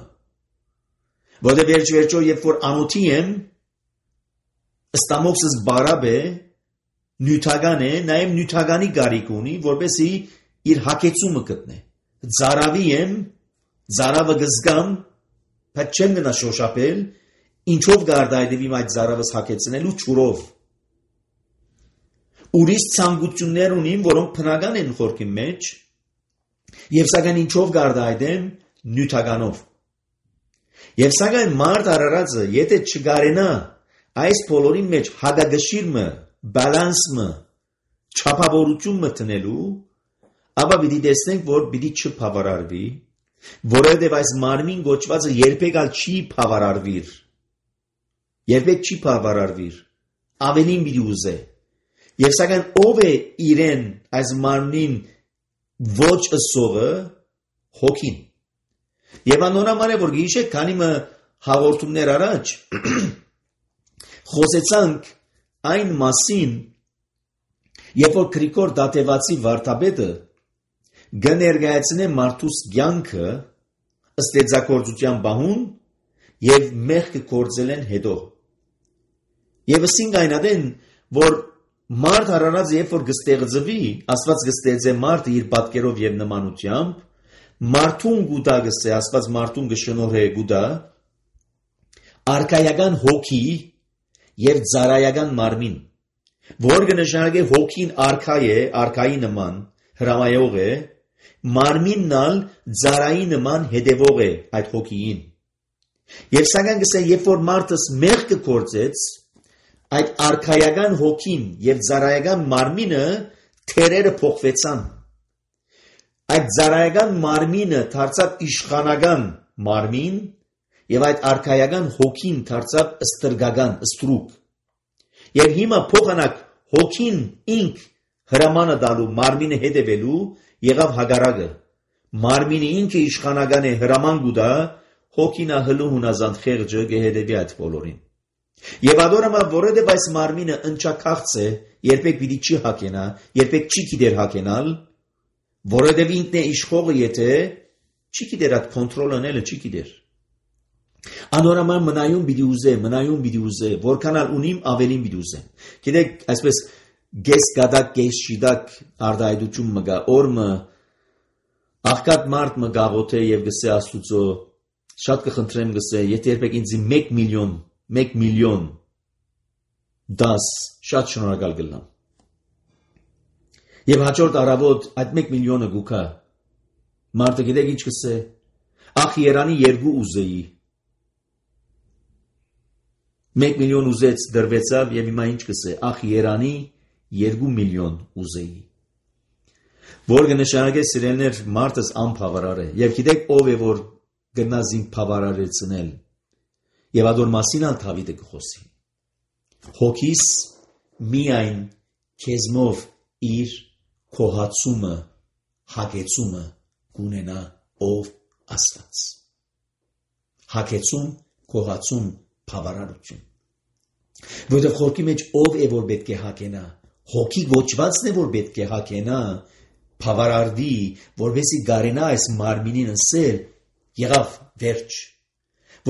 որովհետև վերջ-վերջո երբ որ անոթի եմ, ստամոքսս բարապ է, նյութական է, նաեւ նյութականի գարիք ունի, որպեսզի իր հակեցումը գտնե։ Ձարավի եմ, ձարավը գզգամ, բայց չեմ գնա շոշափել, ինչով գարդայդվիմ այդ ձարավս հակեցնելու ճուրով։ Ուրիշ ցանկություններ ունիմ, որոնք բնական են խորքի մեջ, եւ սակայն ինչով գարդայդեմ, նյութականով։ Եվ սակայն մարդ արարածը, եթե չգարենա այս բոլորի մեջ հագագշիրը, բալանսը, չափավորությունը տնելու, ապա պիտի տեսնենք, որ պիտի չփավարարվի, որովհետև այս մարմին գոչվածը երբեք ալ չի փավարարվիր, երբեք չի փավարարվիր, ավելին պիտի ուզե։ Եվ սակայն ով է իրեն այս մարմնին ոչ ըսողը, հոգին։ Եվ անորոման է, որ գիշեք, քանի մը հաղորդումներ առաջ խոսեցանք այն մասին, երբ որ Գրիգոր Դատեվացի վարդապետը գներգայացնե մարդուս կյանքը ստեղծագործության բահուն եւ մեղքը կործել են հետո։ Եվ ասինք այնադեն, որ մարդ արարած երբ որ կստեղծվի, Աստված կստեղծե մարդը իր պատկերով եւ նմանությամբ, մարդուն գուտա գսե, Աստված մարդուն կշնորհե գուտա, արքայական հոգի եւ ծարայական մարմին, որ կնշանակե հոգին արքայ է, արքայի նման, հրամայող է, մարմինն ալ ծարայի նման հետևող է այդ հոգիին։ Եվ սակայն գսե, երբ որ մարդս մեղքը կործեց, այդ արքայական հոգին եւ ծարայական մարմինը թերերը փոխվեցան։ Այդ ծարայական մարմինը դարձավ իշխանական մարմին եւ այդ արքայական հոգին դարձավ ստրգական, ստրուկ։ Եվ հիմա փոխանակ հոգին ինք հրամանը դալու մարմինը հետևելու եղավ հագարակը։ Մարմինը ինքը իշխանական է հրաման գուտա, հոգինա հլու հունազանդ խեղճը կհետևի այդ բոլորին։ Եվ ադորամա որովհետև այս մարմինը ընչաքաղց է, երբեք պիտի չի հակենա, երբեք չի գիտեր հակենալ, որովհետև ինքն է իշխողը, եթե չի գիտեր այդ կոնտրոլ անելը, չի գիտեր։ Անորոման մնայուն պիտի ուզե, մնայուն պիտի ուզե, որքանալ ունիմ ավելին պիտի ուզե։ Գիտեք, այսպես գես գադակ, գես շիդակ արդայդություն մգա, օրմը աղկատ մարդ մը գաղոթե եւ գսե Աստուծո, շատ կխնդրեմ գսե, եթե երբեք ինձի մեկ միլիոն, մեկ միլիոն դաս, շատ շնորհակալ կլնամ։ Եվ հաջորդ առավոտ այդ մեկ միլիոնը գուքա, մարդը գիտեք ինչ կսե, ախ երանի երկու ուզեի, մեկ միլիոն ուզեց դրվեցավ եւ հիմա ինչ կսե, ախ երանի երկու միլիոն ուզեի։ Որ կնշանակե սիրելներ մարդս անփավարար է, եւ գիտեք ով է որ գնազին փավարարեցնել, եւ ադոր մասին ալ Դավիթը կխոսի։ Հոգիս միայն քեզմով իր կոհացումը, հագեցումը կունենա ով Աստված։ Հագեցում, կոհացում, փավարարություն։ Որտեղ խորքի մեջ ով է որ պետք է հագենա, հոգի գոչվածն է որ պետք է հագենա, փավարարվի, որովհետեւ գարենա այս մարմինին ասել, եղավ վերջ։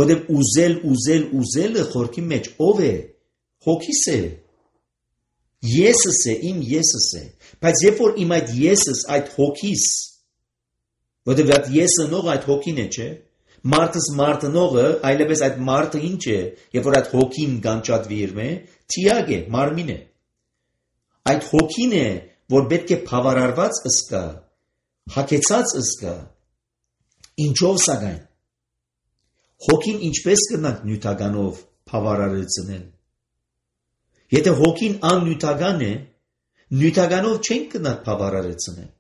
Որտեղ ուզել, ուզել, ուզելը խորքի մեջ ով է, հոգիս է։ Եսս է, իմ եսս է, բայց երբ որ իմ այդ եսս, այդ հոգիս, որտեղ այդ եսը նող այդ հոգին է, չէ՞։ Մարդս մարդնողը, այլևս այդ մարդը ինչ է, երբ որ այդ հոգին գանչատվի իր մե, թիագ է, մարմին է։ Այդ հոգին է, որ պետք է փավարարված ըսկա, հագեցած ըսկա, ինչով սակայն։ հոգին ինչպես կնանք նյութականով բավարարեցնել։ Եթե հոգին աննյութական է, նյութականով չենք կնանք բավարարեցնել։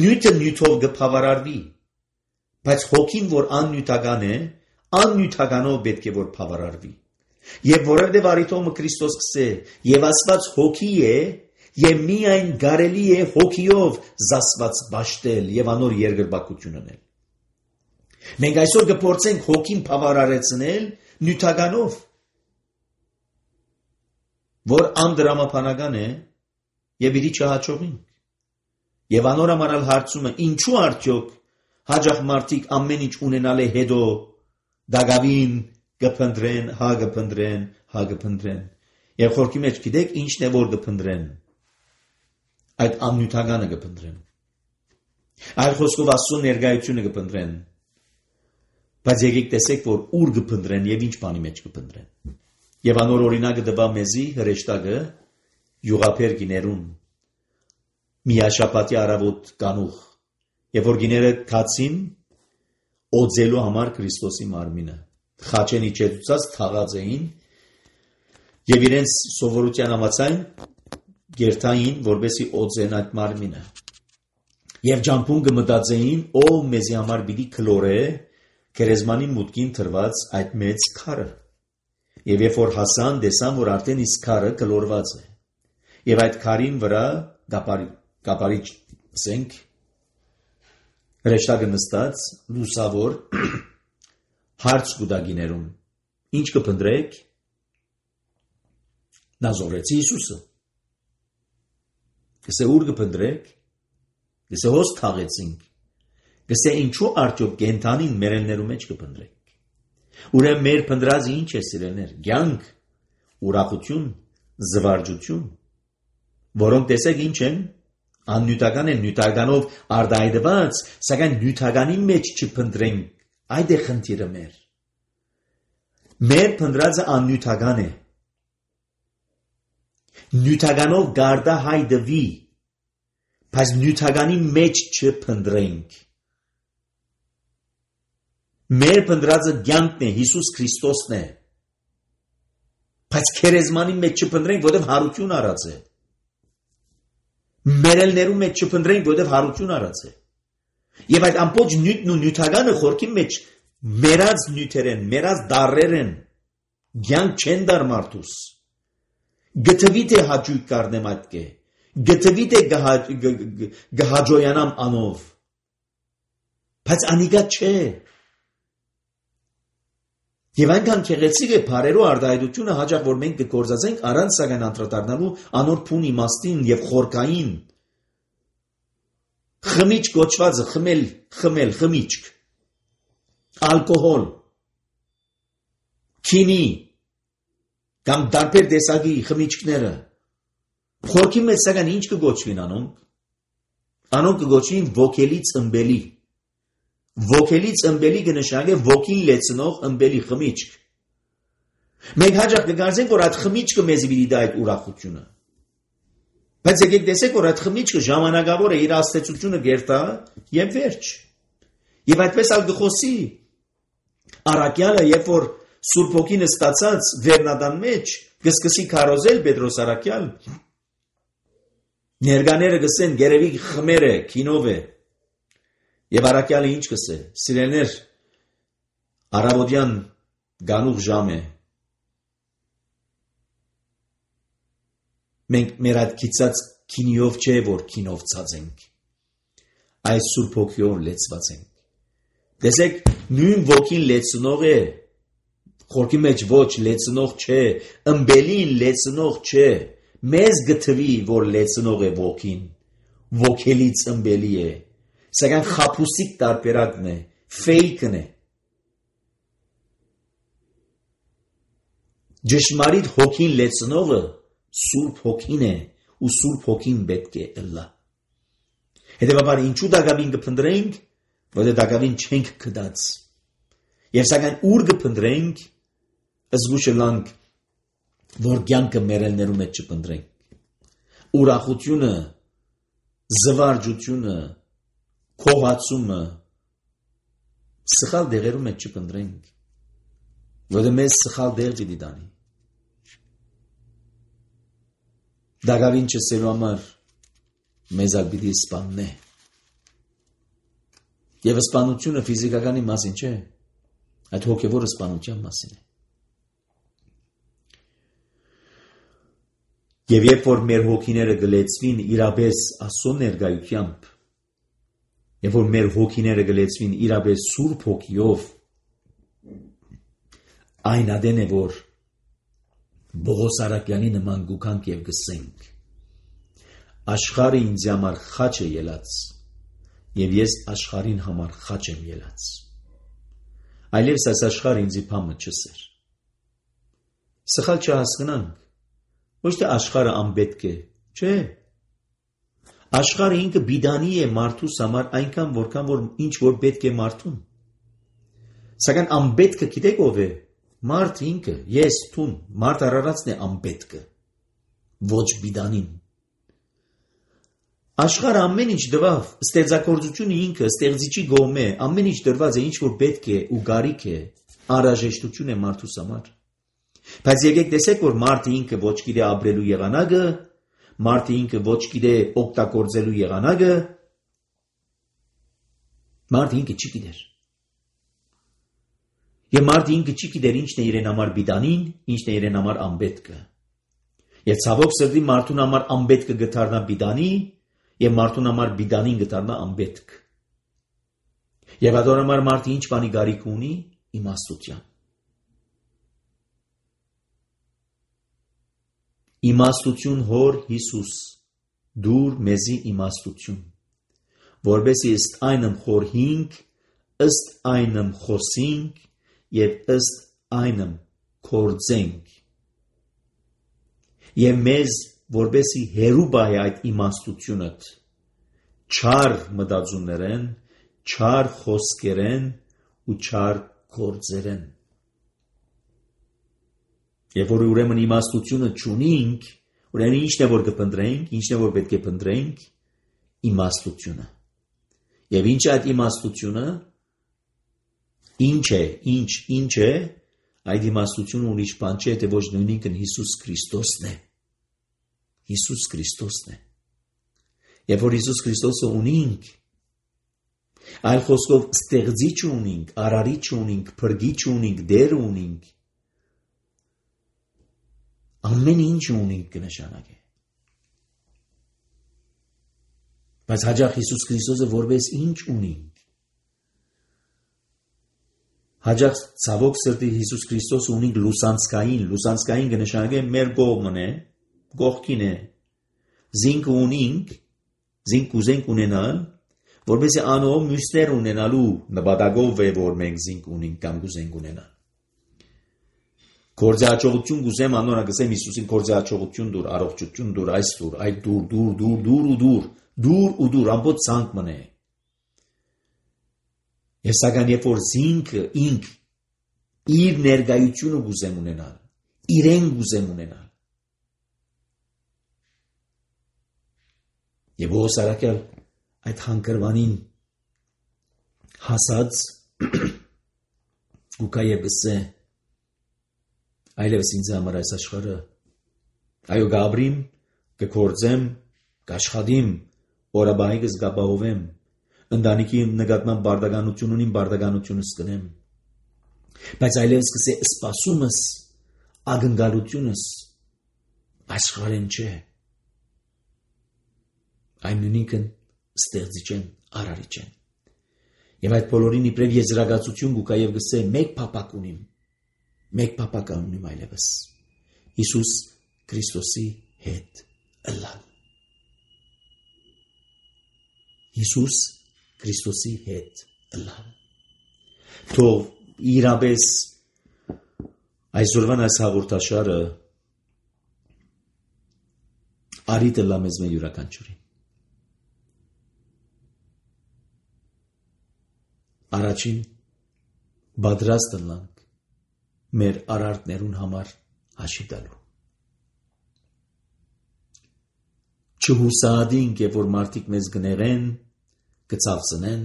Նյութը նյութով կբավարարվի, բայց հոգին, որ աննյութական է, աննյութականով պետք է որ բավարարվի։ Եվ որովհետև արիթոմը Քրիստոս կսե, եւ Աստված հոգի է, եւ միայն կարելի է հոգիով զասված բաշտել եւ անոր երկրպագություն անել։ Մենք այսօր կփորձենք հոգին բավարարեցնել նյութականով, որ անդրամապանական է եւ իրի չհաջողինք։ Եվ անոր համար հարցումը ինչու արդյոք հաջող մարդիկ ամեն ինչ ունենալ է հետո դագավին կփնտրեն, հա կփնտրեն, հա կփնտրեն։ Եվ խորքի մեջ գիտեք ինչն է որ կփնտրեն։ Այդ աննյութականը կփնտրեն։ Այլ խոսքով Աստծո ներկայությունը կփնտրեն։ Բայց եկեք տեսեք որ ուր կփնտրեն եւ ինչ բանի մեջ կփնտրեն։ Եվ անոր օրինակը դվա մեզի հրեշտակը յուղափեր գիներուն միաշապատի արավոտ կանուխ եւ որ գիները քացին օձելու համար Քրիստոսի մարմինը խաչեն իջեցած թաղած էին եւ իրենց սովորության համաձայն գերտային որբեսի օձեն այդ մարմինը եւ ջամփուն կմտածեին ով մեզի համար պիտի քլորե քերեզմանի մուտքին թրված այդ մեծ քարը եւ երբ որ հասան տեսան որ արդեն իսկ քարը քլորված է եւ այդ քարին վրա գապարի գապարի սենք հրեշտակը նստած լուսավոր հարց կուտագիներում ինչ կփնտրեք նազորեցի Հիսուսը կսե ուր կփնտրեք կսե հոս թաղեցինք կսե ինչու արդյոք գենթանին մերեններու մեջ կփնտրեք ուրեմն մեր փնտրածը ինչ է սիրելներ կյանք ուրախություն զվարճություն որոնք տեսեք ինչ են աննյութական են նյութականով արդայդված սակայն նյութականի մեջ չփնտրենք այդ է խնդիրը մեր մեր փնտրածը աննյութական է նյութականով գարդա հայդվի բայց նյութականի մեջ չփնտրենք մեր փնտրածը կյանքն է Հիսուս Քրիստոսն է բայց քերեզմանի մեջ չփնտրենք որովհետև հարություն արած է մերելներու մեջ չփնտրենք որովհետև հարություն արած է եւ այդ ամբողջ նյութն ու նյութականը խորքի մեջ մերած նյութեր են մերած դարեր են կյանք չեն դար մարդուս գտվի թե հաճույք կառնեմ այդ կե գտվի թե գհաջոյանամ անով բայց անիգա չէ Եվ այնքան քեղեցիկ է բարերու արդայդությունը հաջող որ մենք կգործածենք առանց սակայն անդրադառնալու անոր փուն իմաստին եւ խորքային խմիչք կոչվածը խմել խմել խմիչք ալկոհոլ քինի կամ դարբեր տեսակի խմիչքները խորքի մեջ սակայն ինչ կգոչվին անոնք անոնք կգոչվին ոգելի ծնբելի Ոգելի ծնբելի կնշանակե ոգին լեցնող ըմբելի խմիչք։ Մենք հաջող կգարձենք, որ այդ խմիչքը մեզ պիտի տա այդ ուրախությունը։ Բայց եկեք տեսեք, որ այդ խմիչքը ժամանակավոր է իր աստեցությունը գերտա եւ վերջ։ Եվ այդպես ալ գխոսի Արաքյալը, երբ որ Սուրբ Հոգին ստացած վերնադան մեջ կսկսի քարոզել Պետրոս Արաքյալ, ներկաները գսեն գերեւի խմերը քինով է Եվ Արաքյալը ինչ կսե, սիրելներ, առավոտյան գանուղ ժամ է, մենք մեր այդ կիծած քինիով չէ, որ քինով ցածենք, այս Սուրբ Հոգիով լեցված ենք, տեսեք, նույն ոգին լեցնող է, խորքի մեջ ոչ լեցնող չէ, ըմբելին լեցնող չէ, մեզ գտվի, որ լեցնող է ոգին, ոգելից ըմբելի է, Սակայն խապուսիկ տարբերակն է, ֆեյքն է։ Ճշմարիտ հոգին լեցնողը Սուրբ Հոգին է ու Սուրբ Հոգին պետք է ըլլա։ Հետևաբար ինչու դակավին կփնտրենք, որտեղ դակավին չենք գտած։ Եվ սակայն ուր կփնտրենք, զգուշ լանք, որ կյանքը մերելներու մեջ չփնտրենք։ Ուրախությունը, զվարճությունը Քողացումը, սխալ դեղերում մեջ չփնտրենք, որը մեզ սխալ դեղ պիտի տանի։ Դագավին չսելու համար մեզ ալ պիտի սպաննե։ Եվ սպանությունը ֆիզիկականի մասին չէ, այդ հոգևոր սպանության մասին է։ Եվ երբ որ մեր հոգիները գլեցվին իրապես Աստծո ներկայությամբ, երբ որ մեր հոգիները գլեցվին իրապես Սուրբ Հոգիով, այն ադեն է, որ Բողոս Արաքյանի նման գուքանք և գսենք, աշխարհը ինձ համար խաչ է ելած, և ես աշխարհին համար խաչ եմ ելած։ Այլևս այս աշխարհը ինձի փամը չսեր։ Սխալ չհասկանանք, ոչ թե աշխարհը անպետք է, չէ։ Աշխարհը ինքը բիդանի է մարդուս համար այնքան, որքան որ ինչ որ պետք է մարդուն։ Սակայն անպետքը գիտեք ով է։ Մարդ ինքը, ես, տուն, մարդ արարածն է անպետքը, ոչ բիդանին։ Աշխարհը ամեն ինչ դվավ, ստեղծագործությունը ինքը, ստեղծիչի գոմ է, ամեն ինչ դրված է, ինչ որ պետք է ու գարիք է, անհրաժեշտություն է մարդուս համար։ Բայց եկեք տեսեք, որ մարդը ինքը ոչ գիտե ապրելու եղանակը, մարդը ինքը ոչ գիտե օգտագործելու եղանակը, մարդը ինքը չի գիտեր։ Եվ մարդը ինքը չի գիտեր ինչն է իրեն համար բիդանին, ինչն է իրեն համար անպետքը։ Եվ ցավոք սրտի մարդուն համար անպետքը գտարնա բիդանի, եւ մարդուն համար բիդանին գտարնա անպետք։ Եվ ador համար մարդը ինչ բանի գարիք ունի իմաստության։ Իմաստություն հոր Հիսուս, դուր մեզի իմաստություն, որբեսի ըստ այնմ խորհինք, ըստ այնմ խոսինք եւ ըստ այնմ կործենք։ Եվ մեզ որբեսի հերու բայ այդ իմաստությունըտ, չար մտածումներեն, չար խոսքերեն ու չար գործերեն։ Եվ որ ուրեմն իմաստությունը չունինք, ուրեմն ինչն է որ կփնտրենք, ինչն է որ պետք է փնտրենք, իմաստությունը։ Եվ ինչ է այդ իմաստությունը, ինչ է, ինչ, ինչ է, այդ իմաստությունը ուրիշ բան չէ, թե ոչ նույնինքն Հիսուս Քրիստոսն է։ Հիսուս Քրիստոսն է։ Եվ որ Հիսուս Քրիստոսը ունինք, այլ խոսքով ստեղծիչ ունինք, արարիչ ունինք, փրկիչ ունինք, դեր ունինք, ամեն ինչ ունինք կնշանակե։ Բայց հաջող Հիսուս Քրիստոսը որպես ինչ ունինք։ Հաջող ցավոք սրտի Հիսուս Քրիստոսը ունինք լուսանցքային, լուսանցքային կնշանակե մեր կողմն է, կողքին է։ Զինք ունինք, զինք ուզենք ունենալ, որպեսզի անով մյուսներ ունենալու նպատակով է, որ մենք զինք ունենք կամ կուզենք ունենալ։ Գործիաճողություն գուզեմ անոնը գսեմ Հիսուսին գործիաճողություն դուր, առողջություն դուր, այս դուր, այդ դուր, դուր, դուր, դուր ու դուր, դուր ու դուր, ամբողջ ցանկ մնե։ Եվ սակայն երբ որ զինքը ինք իր ներկայությունը գուզեմ ունենալ, իրեն գուզեմ ունենալ։ Եվ ո սարակել այդ հանգրվանին հասած գուկա եւ գսե այլևս ինձ համար այս աշխարհը այո գաբրիմ կկործեմ կաշխատիմ օրաբայգս գաբահովեմ ընտանիքի նկատմամբ բարդականություն ունիմ բարդականությունս կնեմ բայց այլևս կսե սպասումս ագնկալությունս աշխարհեն չէ այն նույնիկն ստեղծիչ են արարիչ են եւ այդ բոլորին իբրև եզրակացություն գուկա եւ գսե մեկ փապակ ունիմ մեկ փապակ ունիմ այլևս Հիսուս Քրիստոսի հետ ըլլալ Հիսուս Քրիստոսի հետ ըլլալ թող իրապես այսօրվան այս հաղորդաշարը արիտ ըլլա մեզ մեր յուրաքանչյուրին Առաջին բادرաստ ըլլանք մեր արարտներուն համար հաշիվ տալու չհուսադինք, երբ որ մարդիկ մեզ գներեն, կցավցնեն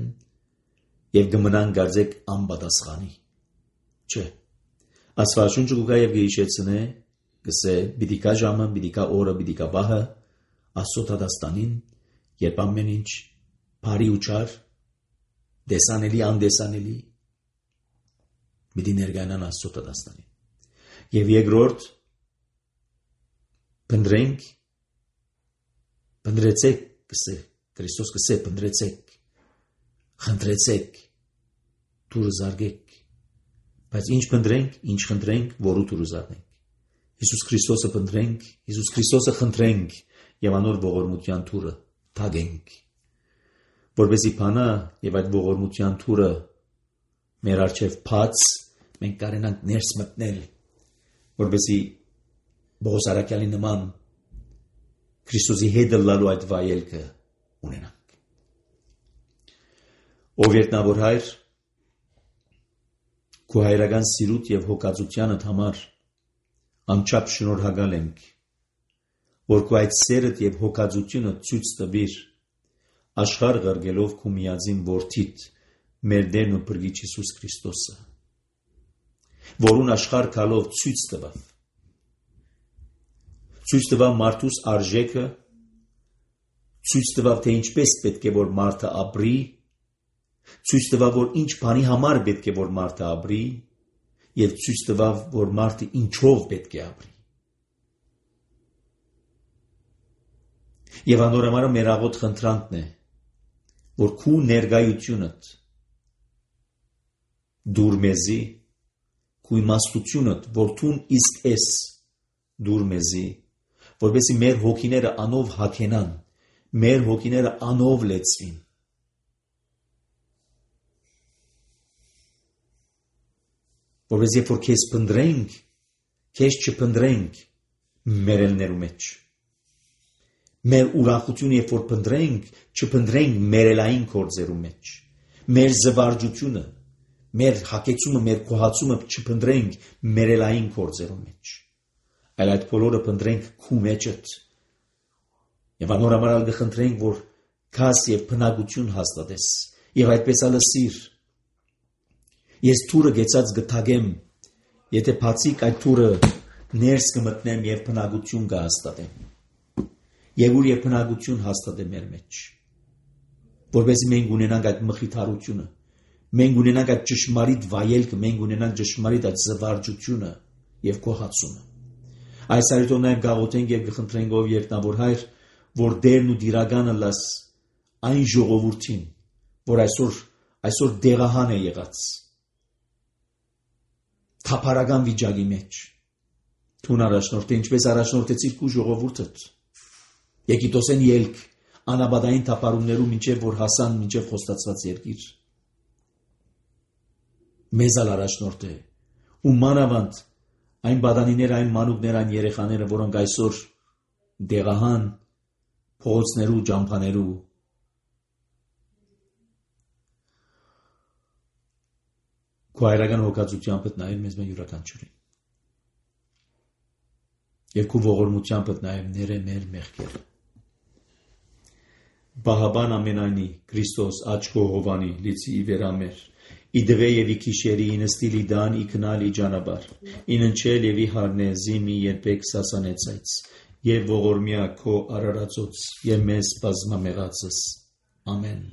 եւ կմնան գարձեք անպատասխանի։ Չէ։ Աստվածաշունչը կգա եւ կհիշեցնե, կսե պիտի կա ժամը, պիտի կա օրը, պիտի կա վահը, Աստծո դաստանին, երբ ամեն ինչ բարի ու չար, դեսանելի, անդեսանելի, պիտի ներկայանան Աստծո դաստանին։ Եվ երկրորդ, փնտրենք, փնտրեցեք, կսե, Քրիստոս կսե, փնտրեցեք, խնդրեցեք, դուրը զարգեք, բայց ինչ փնտրենք, ինչ խնդրենք, որու դուրը զարգենք։ Հիսուս Քրիստոսը փնտրենք, Հիսուս Քրիստոսը խնդրենք եւ անոր ողորմության դուրը թագենք, որովհետեւ բանա եւ այդ ողորմության դուրը մեր արչեւ բաց, մենք կարենանք ներս մտնել, որովհետեւ Պողոս Արաքյալի նման Քրիստոսի հետ լալու այդ վայելքը ունենանք։ Ով երտնավոր հայր, քո հայրական սիրուտ եւ հոգածությանդ համար անչափ շնորհակալ ենք, որ քո այդ սերդ եւ հոգածությունը ցույց տվիր աշխարհ ղրգելով քո միածին որդիդ, մեր Տերն ու Փրկիչ Հիսուս Քրիստոսը, որուն աշխարհ քալով ցույց տվավ, ցույց տվավ մարդուս արժեքը, ցույց տվավ թե ինչպես պետք է որ մարդը ապրի, ցույց տվավ որ ինչ բանի համար պետք է որ մարդը ապրի եւ ցույց տվավ որ մարդը ինչով պետք է ապրի։ Եվ անորամարը մեր աղոտ խնդրանքն է, որ քու ներկայությունդ դուր մեզի, քու իմաստությունդ, որ թուն իսկ ես դուր մեզի, որովհետեւ մեր հոգիները անով հագենան, մեր հոգիները անով լեցվին։ Որովհետեւ երբ որ քեզ փնտրենք, քեզ չփնտրենք մերելներու մեջ։ Մեր ուրախությունը երբ որ փնտրենք, չփնտրենք մերելային գործերու մեջ։ Մեր զվարճությունը, մեր հակեցումը, մեր կոհացումը չփնտրենք մերելային գործերու մեջ։ Այլ այդ բոլորը փնտրենք քու մեջդ։ Եվ անորամարալ կխնդրենք, որ քաս եւ բնակություն հաստատես, եւ այդպես ալսիր։ Ես թուրը գեցած գտագեմ, եթե բացիկ այդ թուրը ներս կմտնեմ եւ բնակություն կհաստատեմ։ Եվ ուր եւ բնակություն հաստատեմ մեր մեջ։ Որովհետեւ մենք ունենանք այդ մխիթարությունը, մենք ունենանք այդ ճշմարիտ վայելքը, մենք ունենանք ճշմարիտ այդ զվարճությունը եւ կոհացումը։ Այս արիտով նաև գաղութենք և կխնդրենք ով երտնավոր հայր, որ դերն ու դիրագանը լաս այն ժողովուրդին, որ այսօր, այսօր դեղահան է եղած, թափարական վիճակի մեջ, թուն առաջնորդ է, ինչպես առաջնորդեցիր քու ժողովուրդդ, եկիտոսեն ելք, անաբադային թափարումներու մինչև որ հասան մինչև խոստացված երկիր, մեզ ալ առաջնորդ է, ու մանավանդ այն բադանիները, այն մանուկները, այն երեխաները, որոնք այսօր դեղահան, փողոցներու, ջամփաներու, քո հայրական հոգածությամբ նայել մեզ մեր յուրաքանչյուրին։ Եվ քո ողորմությամբ նայել ները մեր մեղքերը։ Բահաբան ամենայնի, Քրիստոս, աչքո հովանի, լիցի վերամեր, իդվե եւ իքիշերի ինստիլի դան իքնալ իջանաբար, ինընչել եւ իհարնե զիմի երբեք սասանեցայց, եւ ողորմյա քո արարածոց եւ մեզ բազմամեղածս։ Ամեն։